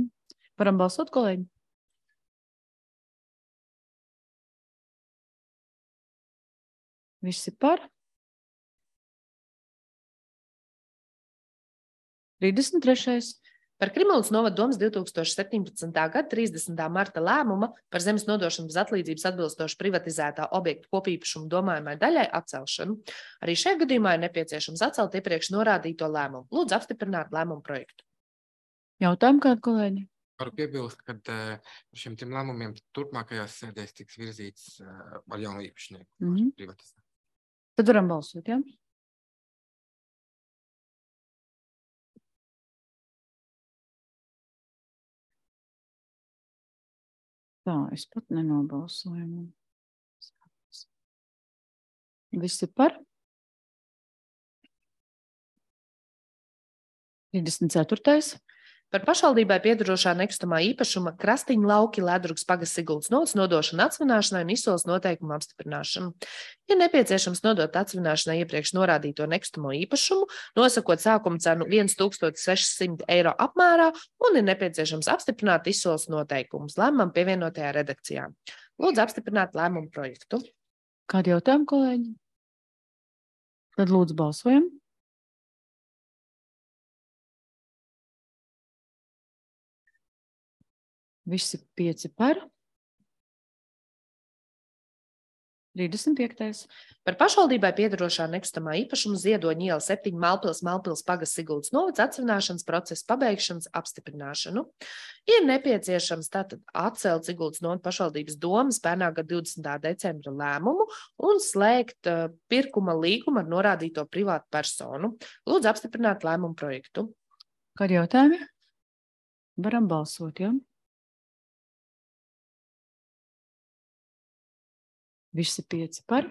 Varam balsot, kolēģi? Visi par. 33. Par Krimuldas novada domas 2017. gada 30. marta lēmuma par zemes nodošanu bez atlīdzības atbilstoši privatizētā objekta kopīpašuma domājamai daļai atcelšanu. Arī šajā gadījumā ir nepieciešams atcelt iepriekš norādīto lēmumu. Lūdzu apstiprināt lēmumu projektu. Jautājumu kādu, kolēģi? Varu piebilst, ka par šiem trim lēmumiem turpmākajās sēdēs tiks virzīts ar jaunu īpašnieku privatizēt. Tad varam balsot, jā? Tā, es pat nenobalsoju. Visi par? 34. Par pašvaldībai piedarošā nekustamā īpašuma Krastiņu lauki Ledrugas pagasts Siguldas novads nodošanu atsevināšanai un izsoles noteikumu apstiprināšanu. Ir nepieciešams nodot atsevināšanai iepriekš norādīto nekustamo īpašumu, nosakot sākuma cenu 1600 eiro apmērā, un ir nepieciešams apstiprināt izsoles noteikumus lēmumam pievienotajā redakcijā. Lūdzu apstiprināt lēmumu projektu. Kādi jautājumi, kolēģi? Tad lūdzu balsojam. Visi 5 par. 35. Par pašvaldībai piedarošā nekustamā īpašuma Ziedoņa iela 7 Malpils pagasts Siguldas novads atsevināšanas procesa pabeigšanas apstiprināšanu. Ir nepieciešams tātad atcelt Siguldas novada pašvaldības domas pērnā gada 20. decembra lēmumu un slēgt pirkuma līgumu ar norādīto privātu personu. Lūdzu apstiprināt lēmumu projektu. Kādi jautājumi? Varam balsot, jā? Visi 5 par.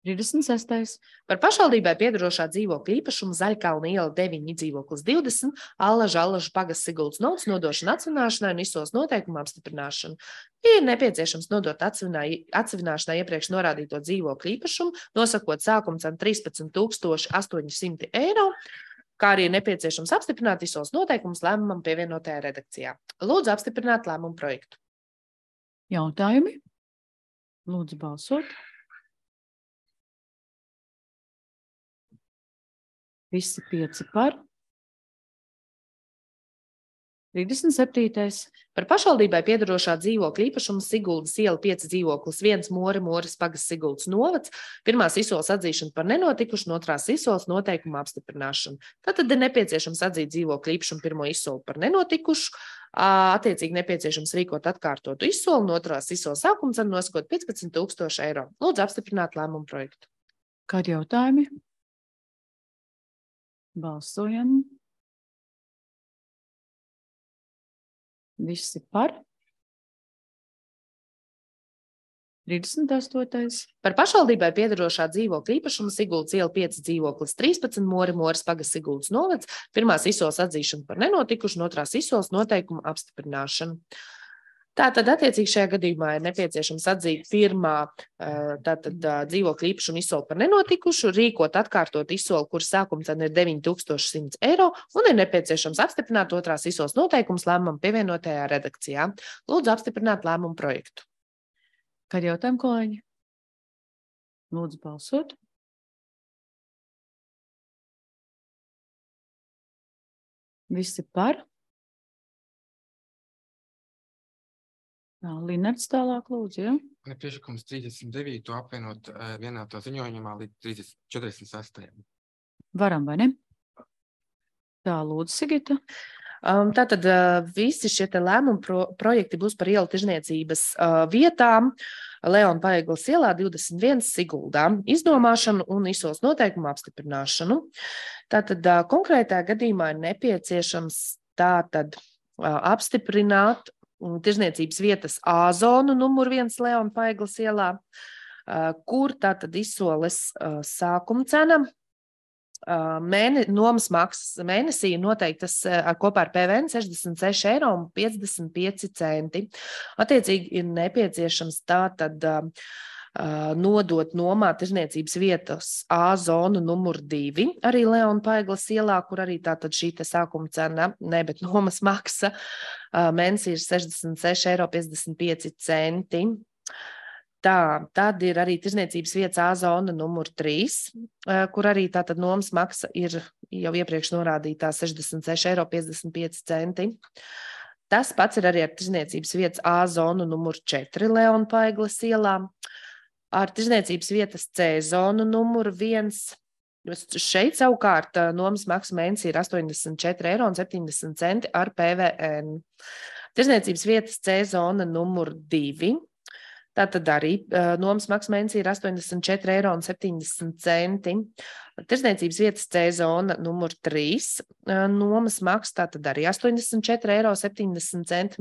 36. Par pašvaldībai piedarošā dzīvokļa īpašumu Zaļkalna iela 9 dzīvoklis 20, Allaža pagasts Siguldas novads nodošana atsvināšanai un izsoles noteikumu apstiprināšanu. Ir nepieciešams nodot atsvināšanai iepriekš norādīto dzīvokļu īpašumu, nosakot sākuma cenu 13 800 eiro, kā arī ir nepieciešams apstiprināt izsoles noteikumus lēmumam pievienotajā redakcijā. Lūdzu apstiprināt lēmumu projektu. Jautājumi? Lūdzu balsot. Visi 5 par. 37. Par pašvaldībai piedarošā dzīvokļa īpašumu Siguldas iela 5 dzīvoklis 1 Moras pagasts Siguldas novads, pirmās izsoles atzīšana par nenotikušu, otrās izsoles noteikumu apstiprināšanu. Tātad ir nepieciešams atzīt dzīvokļa īpašumu pirmo izsoli par nenotikušu, attiecīgi nepieciešams rīkot atkārtotu izsoli, un otrās izsoles sākuma cenu nosakot 15 000 eiro. Lūdzu apstiprināt lēmumu projektu. Kādi jautājumi? Balsojam. Visi par. 38. Par pašvaldībai piedarošā dzīvokļa īpašumu Siguldas iela 5 dzīvoklis 13 Moras pagasts Siguldas novads, pirmās izsoles atzīšana par nenotikušu, un otrās izsoles noteikumu apstiprināšanu. Tātad attiecīgi šajā gadījumā ir nepieciešams atzīt pirmā dzīvokļa īpašumu izsoli par nenotikušu, rīkot atkārtot izsoli, kuras sākuma cena ir 9100 eiro, un ir nepieciešams apstiprināt otrās izsoles noteikumus lēmumam pievienotajā redakcijā. Lūdzu apstiprināt lēmumu projektu. Kādi jautājumi, kolēģi? Lūdzu balsot. Visi par. Linards tālāk lūdzu, ja? Man ir priekšlikums 39. apvienot vienā to ziņojumā līdz 46. Varam, vai ne? Tā, lūdzu, Sigita. Tātad visi šie lēmumu projekti būs par ielu tirzniecības vietām Leona Paegles ielā 21 Siguldā, izdomāšanu un izsoles noteikumu apstiprināšanu. Tātad konkrētā gadījumā ir nepieciešams tātad apstiprināt tirzniecības vietas A zonu numur 1 Leona Paegles ielā, kur tātad izsoles sākuma cena nomas maksas mēnesī noteiktas kopā ar PVN 66,55 eiro. Attiecīgi ir nepieciešams tātad nodot nomā tirzniecības vietas A zonu numur 2, arī Leona Paegles ielā, kur arī tātad šī sākuma cena, bet nomas maksa mēnesī ir 66,55 eiro. Tad ir arī tirzniecības vietas A zona numur 3, kur arī tātad nomas maksa ir jau iepriekš norādītā 66,55 eiro. Tas pats ir arī ar tirzniecības vietas A zonu numur 4 Leona Paegles ielā, ar tirzniecības vietas C zonu numur 1. Šeit savukārt nomas maksa mēnesī ir 84,70 eiro ar PVN. Tirzniecības vietas C zona numur 2. Tātad arī nomas maksa mēnesī ir 84,70 eiro. Tirzniecības vietas C zona numur 3. Nomas maksa tātad arī 84,70 eiro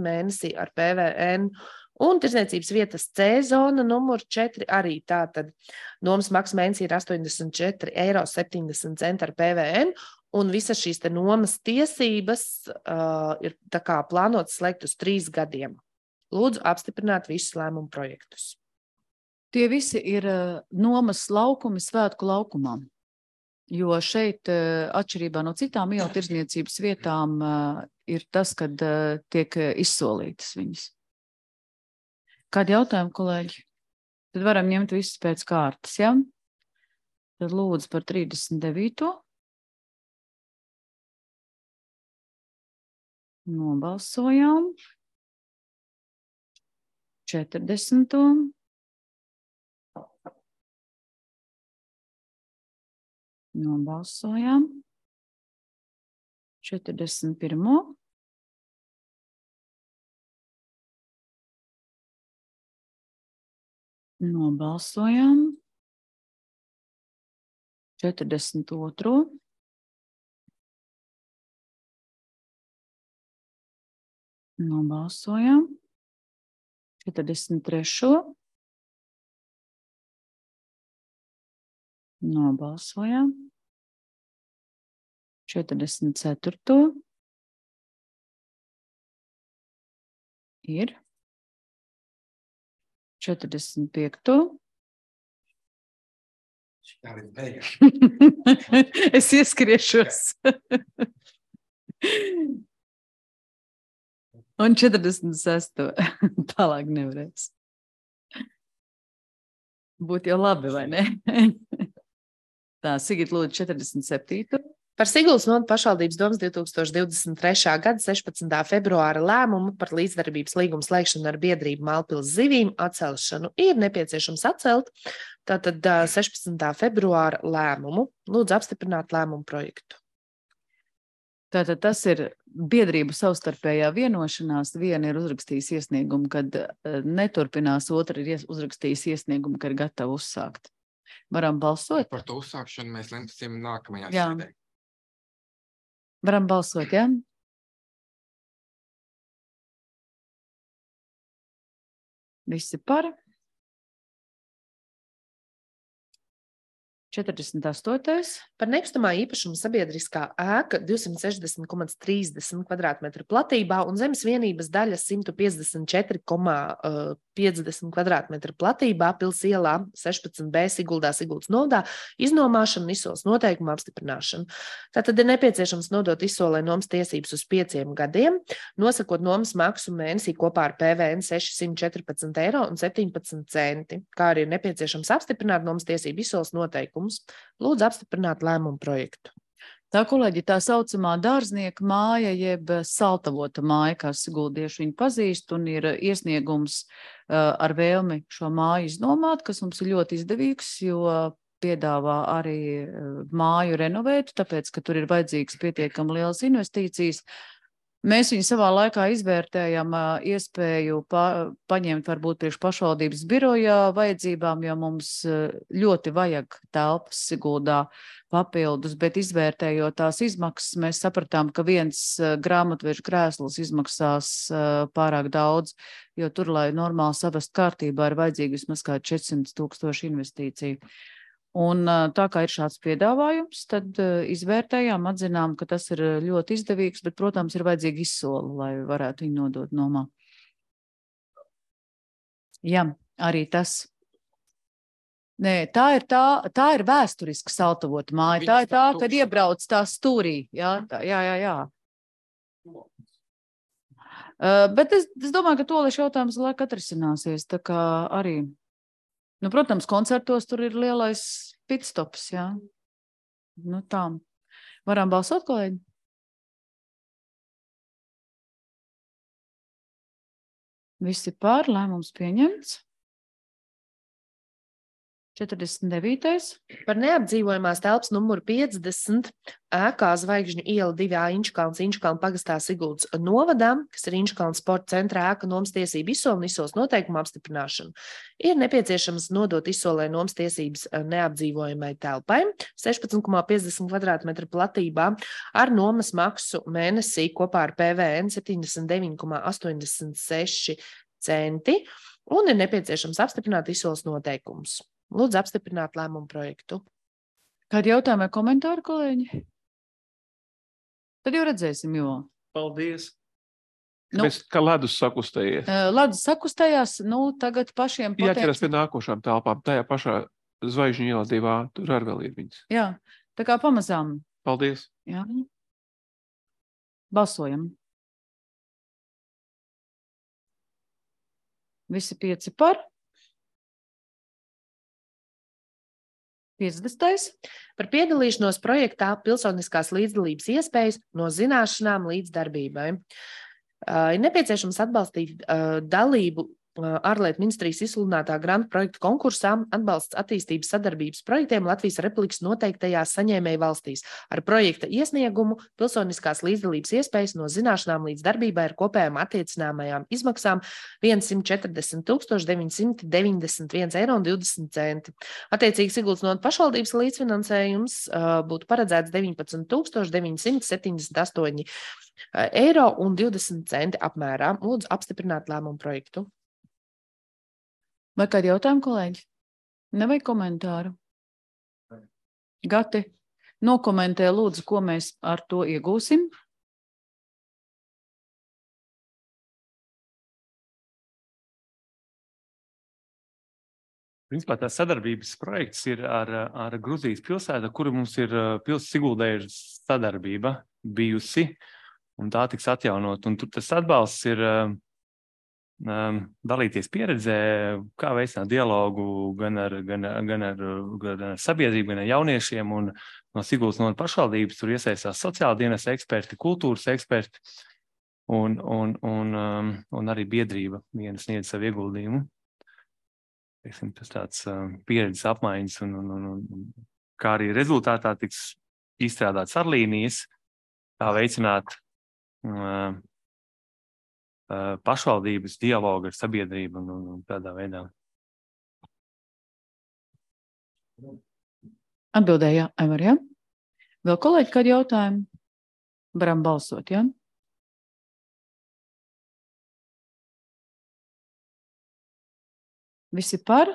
mēnesī ar PVN. Un tirzniecības vietas C zona numur 4 arī tātad nomas maksa mēnesī ir 84,70 eiro ar PVN. Un visas šīs nomas tiesības ir tā kā plānotas slēgt uz 3 gadiem. Lūdzu apstiprināt visus lēmumu projektus. Tie visi ir nomas laukumi svētku laukumam, jo šeit atšķirībā no citām ielu tirdzniecības vietām ir tas, kad tiek izsolītas viņas. Kādi jautājumi, kolēģi? Tad varam ņemt visus pēc kārtas, ja? Tad lūdzu par 39. Nobalsojām. 40. Nobalsojām. 41. Nobalsojām. 42. Nobalsojām. 43. Nobalsojām. 44. Ir. 45. Es ieskriešos. Un 46. Tālāk nevarēs. Būtu jau labi, vai ne? Tā, Sigita, lūdzu, 47. Par Siguldas novada pašvaldības domas 2023. gada 16. februāra lēmumu par līdzdarbības līgumu slēgšanu ar biedrību Mālpils zivīm atcelšanu ir nepieciešams atcelt. Tātad 16. februāra lēmumu. Lūdzu apstiprināt lēmumu projektu. Tātad tas ir biedrību savstarpējā vienošanās. Viena ir uzrakstījis iesniegumu, kad neturpinās, otra ir uzrakstījis iesniegumu, kad ir gatava uzsākt. Varam balsot? Par to uzsākšanu mēs lemsim nākamajā Jā. sēdē. Varam balsot, jā? Visi par? 48. Par nekustamā īpašuma sabiedriskā ēka 260,30 kvadrātmetru platībā un zemes vienības daļa 154,50 kvadrātmetru platībā Pils ielā 16B Siguldā, Siguldas novadā iznomāšanu un izsoles noteikumu apstiprināšanu. Tātad ir nepieciešams nodot izsolē nomas tiesības uz 5 gadiem, nosakot nomas maksu mēnesī kopā ar PVN 614,17 €, kā arī ir nepieciešams apstiprināt nomas tiesību izsoles noteikumu. Lūdzu apstiprināt lēmumu projektu. Tā, kolēģi, tā saucamā dārznieka māja, jeb saltavota māja, kā siguldieši viņu pazīst, un ir iesniegums ar vēlmi šo māju iznomāt, kas mums ir ļoti izdevīgs, jo piedāvā arī māju renovēt, tāpēc, ka tur ir vajadzīgs pietiekami lielas investīcijas. Mēs viņu savā laikā izvērtējam iespēju paņemt varbūt priekš pašvaldības birojā vajadzībām, jo mums ļoti vajag telpas Siguldā papildus, bet izvērtējot tās izmaksas, mēs sapratām, ka viens grāmatvežu krēsls izmaksās pārāk daudz, jo tur, lai normāli savest kārtībā, ir vajadzīgi vismaz kā 400,000 investīciju. Un tā kā ir šāds piedāvājums, tad izvērtējām, atzinām, ka tas ir ļoti izdevīgs, bet, protams, ir vajadzīgi izsoli, lai varētu viņu nodot nomā. Jā, arī tas. Nē, tā ir vēsturiska saltavota māja. Tā ir tā, kad iebrauc tā stūrī. Jā. Bet es domāju, ka toliešu jautājums laika atrisināsies, tā kā arī. Nu, protams, koncertos tur ir lielais pitstops, jā. Nu, tā. Varam balsot, kolēģi? Visi pār, lēmums pieņemts. 49. Par neapdzīvojamās telpas numuru 50 ēkā Zvaigžņu iela 2A Inčkalns, Inčkalna pagastā Siguldas novadā, kas ir Inčkalna sporta centra ēka nomas tiesību izsoli un izsoles noteikumu apstiprināšanu. Ir nepieciešams nodot izsolē nomas tiesības neapdzīvojamai telpai 16,50 kvadrātmetru platībā ar nomas maksu mēnesī kopā ar PVN 79,86 centi un ir nepieciešams apstiprināt izsoles noteikumus. Lūdzu apstiprināt lēmumu projektu. Kādi jautājumi vai komentāri, kolēģi? Tad jau redzēsim, jo. Paldies. Nu, Mēs kā ledus sakustējies. Ledus sakustējās, nu, tagad pašiem Jāķeras pie nākošām telpām. Tajā pašā Zvaigžņu ielā 2A, tur arī vēl ir viņas. Jā, tā kā pamazām. Paldies. Jā. Balsojam. Visi 5 par. 50. Par piedalīšanos projektā pilsoniskās līdzdalības iespējas no zināšanām līdz darbībai. Ir nepieciešams atbalstīt dalību ārlietu ministrijas izsludinātā grantu projektu konkursā atbalsts attīstības sadarbības projektiem Latvijas Republikas noteiktajās saņēmēju valstīs. Ar projekta iesniegumu pilsoniskās līdzdalības iespējas no zināšanām līdz darbībai ar kopējām attiecināmajām izmaksām 140,991,20 €. Attiecīgi Siguldas novada pašvaldības līdzfinansējums būtu paredzēts 19,978 €20 apmērā. Lūdzu apstiprināt lēmumu projektu. Vai kādi jautājumi, kolēģi? Nevajag komentāru? Gati, nokomentē lūdzu, ko mēs ar to iegūsim. Principā tā sadarbības projekts ir ar Gruzijas pilsētu, kuru mums ir Siguldē sadarbība bijusi, un tā tiks atjaunot. Un tur tas atbalsts ir dalīties pieredzē, kā veicināt dialogu gan ar sabiedrību, gan ar jauniešiem, un no Siguldas novada pašvaldības tur iesaistās sociāla dienesta eksperti, kultūras eksperti, un arī biedrība viena sniedz savu ieguldījumu. Tas tāds pieredzes apmaiņas, un kā arī rezultātā tiks izstrādāts arlīnijas, kā veicināt pašvaldības dialogu ar sabiedrību un tādā veidā. Atbildēja, Aivar, jā? Vēl kolēģi kādi jautājumi? Varam balsot, jā? Visi par?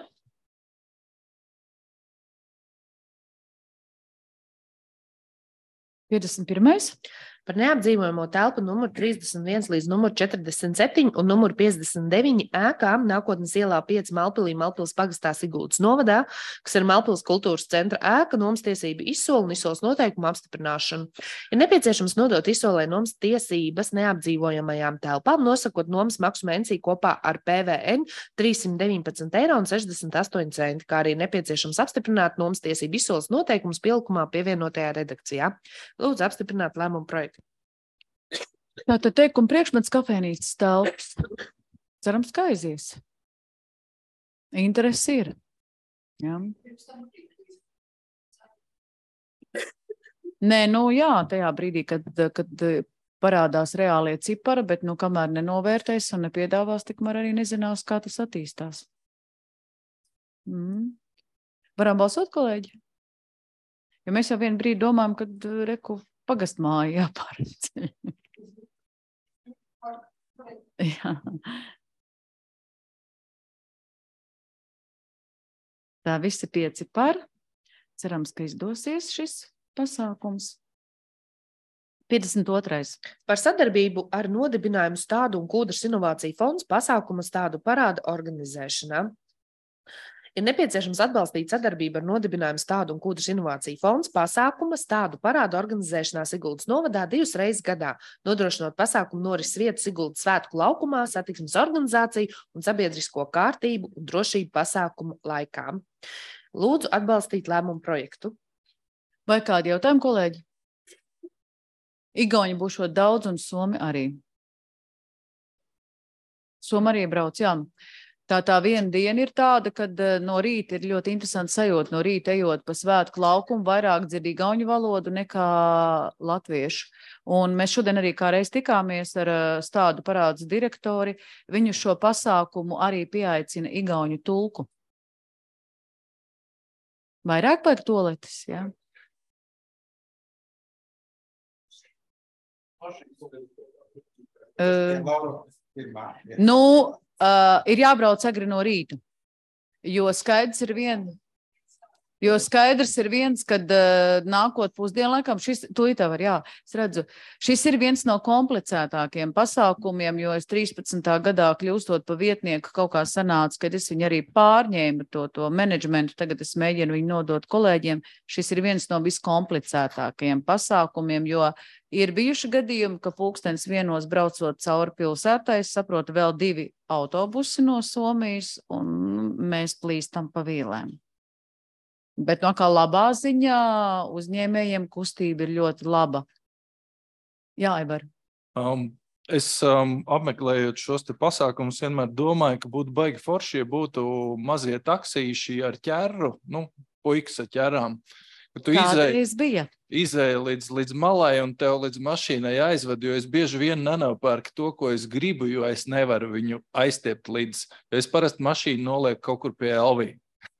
Pirmais. Par neapdzīvojamo telpu numur 31 līdz numur 47 un numur 59 ēkām Nākotnes ielā 5 Malpilī, Malpils pagastā Siguldas novadā, kas ir Malpils kultūras centra ēka, nomas tiesību izsoli un izsoles noteikumu apstiprināšanu. Ir nepieciešams nodot izsolē nomas tiesības neapdzīvojamajām telpām, nosakot nomas maksu mēnesī kopā ar PVN 319,68 €, kā arī nepieciešams apstiprināt nomas tiesību izsoles noteikumus pielikumā pievienotajā redakcijā. Lūdzu apstiprināt lēmumu projektu. Tātad teikuma priekšmets kafēnīcas telpas. Cerams, ka aizies. Interesi ir. Jā. Nē, jā, tajā brīdī, kad parādās reālie cipari, bet, kamēr nenovērtēs un nepiedāvās, tikmēr arī nezinās, kā tas attīstās. Varam balsot, kolēģi? Jo mēs jau vienu brīdi domājam, kad reku pagastmāju jāpārceļ. Jā. Tā visi 5 par. Cerams, ka izdosies šis pasākums. 52. Par sadarbību ar nodibinājumu Stādu un Kūdras inovāciju fonds pasākuma Stādu parāda organizēšanā. Ir nepieciešams atbalstīt sadarbību ar nodibinājumu Stādu un Kūdras inovāciju fonds pasākuma Stādu parādu organizēšanā Siguldas novadā 2 reizes gadā, nodrošinot pasākumu norises vietu Siguldas svētku laukumā, satiksmes organizāciju un sabiedrisko kārtību un drošību pasākumu laikā. Lūdzu atbalstīt lēmumu projektu. Vai kādi jautājumi, kolēģi? Igauni būšot daudz un Somi arī. Somi arī brauc, jā. Tā viena diena ir tāda, kad no rīta ir ļoti interesanti sajūta. No rīta ejot pa svētku laukumu, vairāk dzird igauņu valodu nekā latviešu. Un mēs šodien arī kā reiz tikāmies ar Stādu parādes direktori. Viņu šo pasākumu arī pieaicina igauņu tulku. Vairāk vajag toaletes, jā? Ir jābrauc agri no rīta, jo skaidrs ir viens, kad nākot pusdienlaikam, šis ir viens no komplicētākiem pasākumiem, jo es 13. gadā kļūstot pa vietnieku kaut kā sanāca, kad es viņu arī pārņēmu to menedžmentu, tagad es mēģinu viņu nodot kolēģiem. Šis ir viens no viskomplicētākajiem pasākumiem, jo ir bijuši gadījumi, ka 1:00 braucot cauri pilsētai, es saprotu, vēl 2 autobusi no Somijas, un mēs plīstam pa vīlēm. Bet no kā labā ziņā uzņēmējiem kustība ir ļoti laba. Jā, Aivar. Es apmeklējot šos te pasākumus vienmēr domāju, ka būtu baigi forši, ja būtu mazie taksīši ar ķerru, puikas ar ķerām. Tu izēji līdz malai un tev līdz mašīnai aizved, jo es bieži vien nenopērku to, ko es gribu, jo es nevaru viņu aiztiept līdz. Es parasti mašīnu nolieku kaut kur pie Elvī.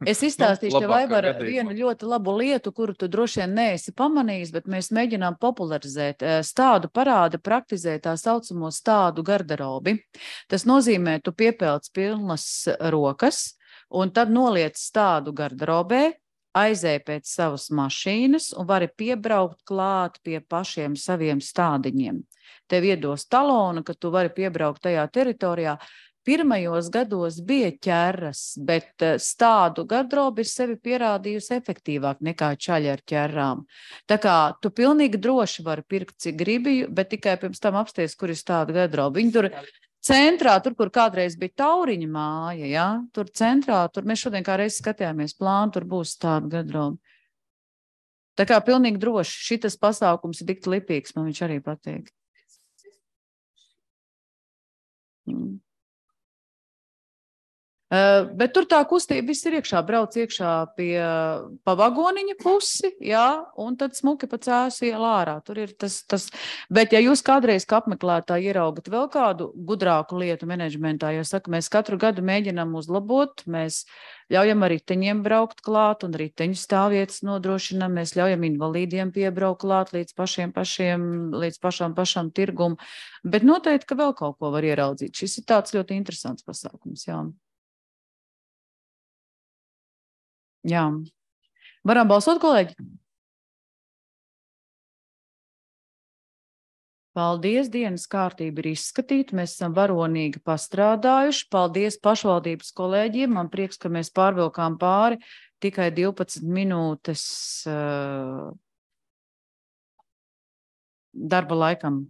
Es izstāstīšu tev, Aivar, vienu ļoti labu lietu, kuru tu droši vien neesi pamanījis, bet mēs mēģinām popularizēt. Stādu parāda praktizē tā saucamo stādu garderobi. Tas nozīmē, tu piepelc pilnas rokas un tad noliec stādu garderobē, aizēj pēc savas mašīnas un vari piebraukt klāt pie pašiem saviem stādiņiem. Tev iedos talonu, ka tu vari piebraukt tajā teritorijā. Pirmajos gados bija ķerras, bet stādu garderoba ir sevi pierādījusi efektīvāk nekā čaļi ar ķerrām. Tā kā tu pilnīgi droši vari pirkt, cik gribi, bet tikai pirms tam apsties, kur ir stādu garderoba. Viņi tur centrā, tur, kur kādreiz bija Tauriņa māja, ja? Tur centrā, tur mēs šodien kā reiz skatījāmies plānu, tur būs stādu garderoba. Tā kā pilnīgi droši, šitas pasākums ir tik lipīgs, man viņš arī patīk. Bet tur tā kustība viss ir iekšā, brauc iekšā pa vagoniņa pusi, jā, un tad smuki pa Cēsu ielu ārā. Tur ir tas. Bet ja jūs kādreiz kā apmeklētāji ieraugat vēl kādu gudrāku lietu menedžmentā, jo saka, mēs katru gadu mēģinām uzlabot, mēs ļaujam riteņiem braukt klāt un riteņu stāvvietas nodrošinām, mēs ļaujam invalīdiem piebraukt klāt līdz pašam tirgumu, bet noteikti, ka vēl kaut ko var ieraudzīt. Šis ir tāds ļoti interesants pasākums, jā. Jā. Varam balsot, kolēģi? Paldies, dienas kārtība ir izskatīta, mēs esam varonīgi pastrādājuši. Paldies pašvaldības kolēģiem, man prieks, ka mēs pārvilkām pāri tikai 12 minūtes darba laikam.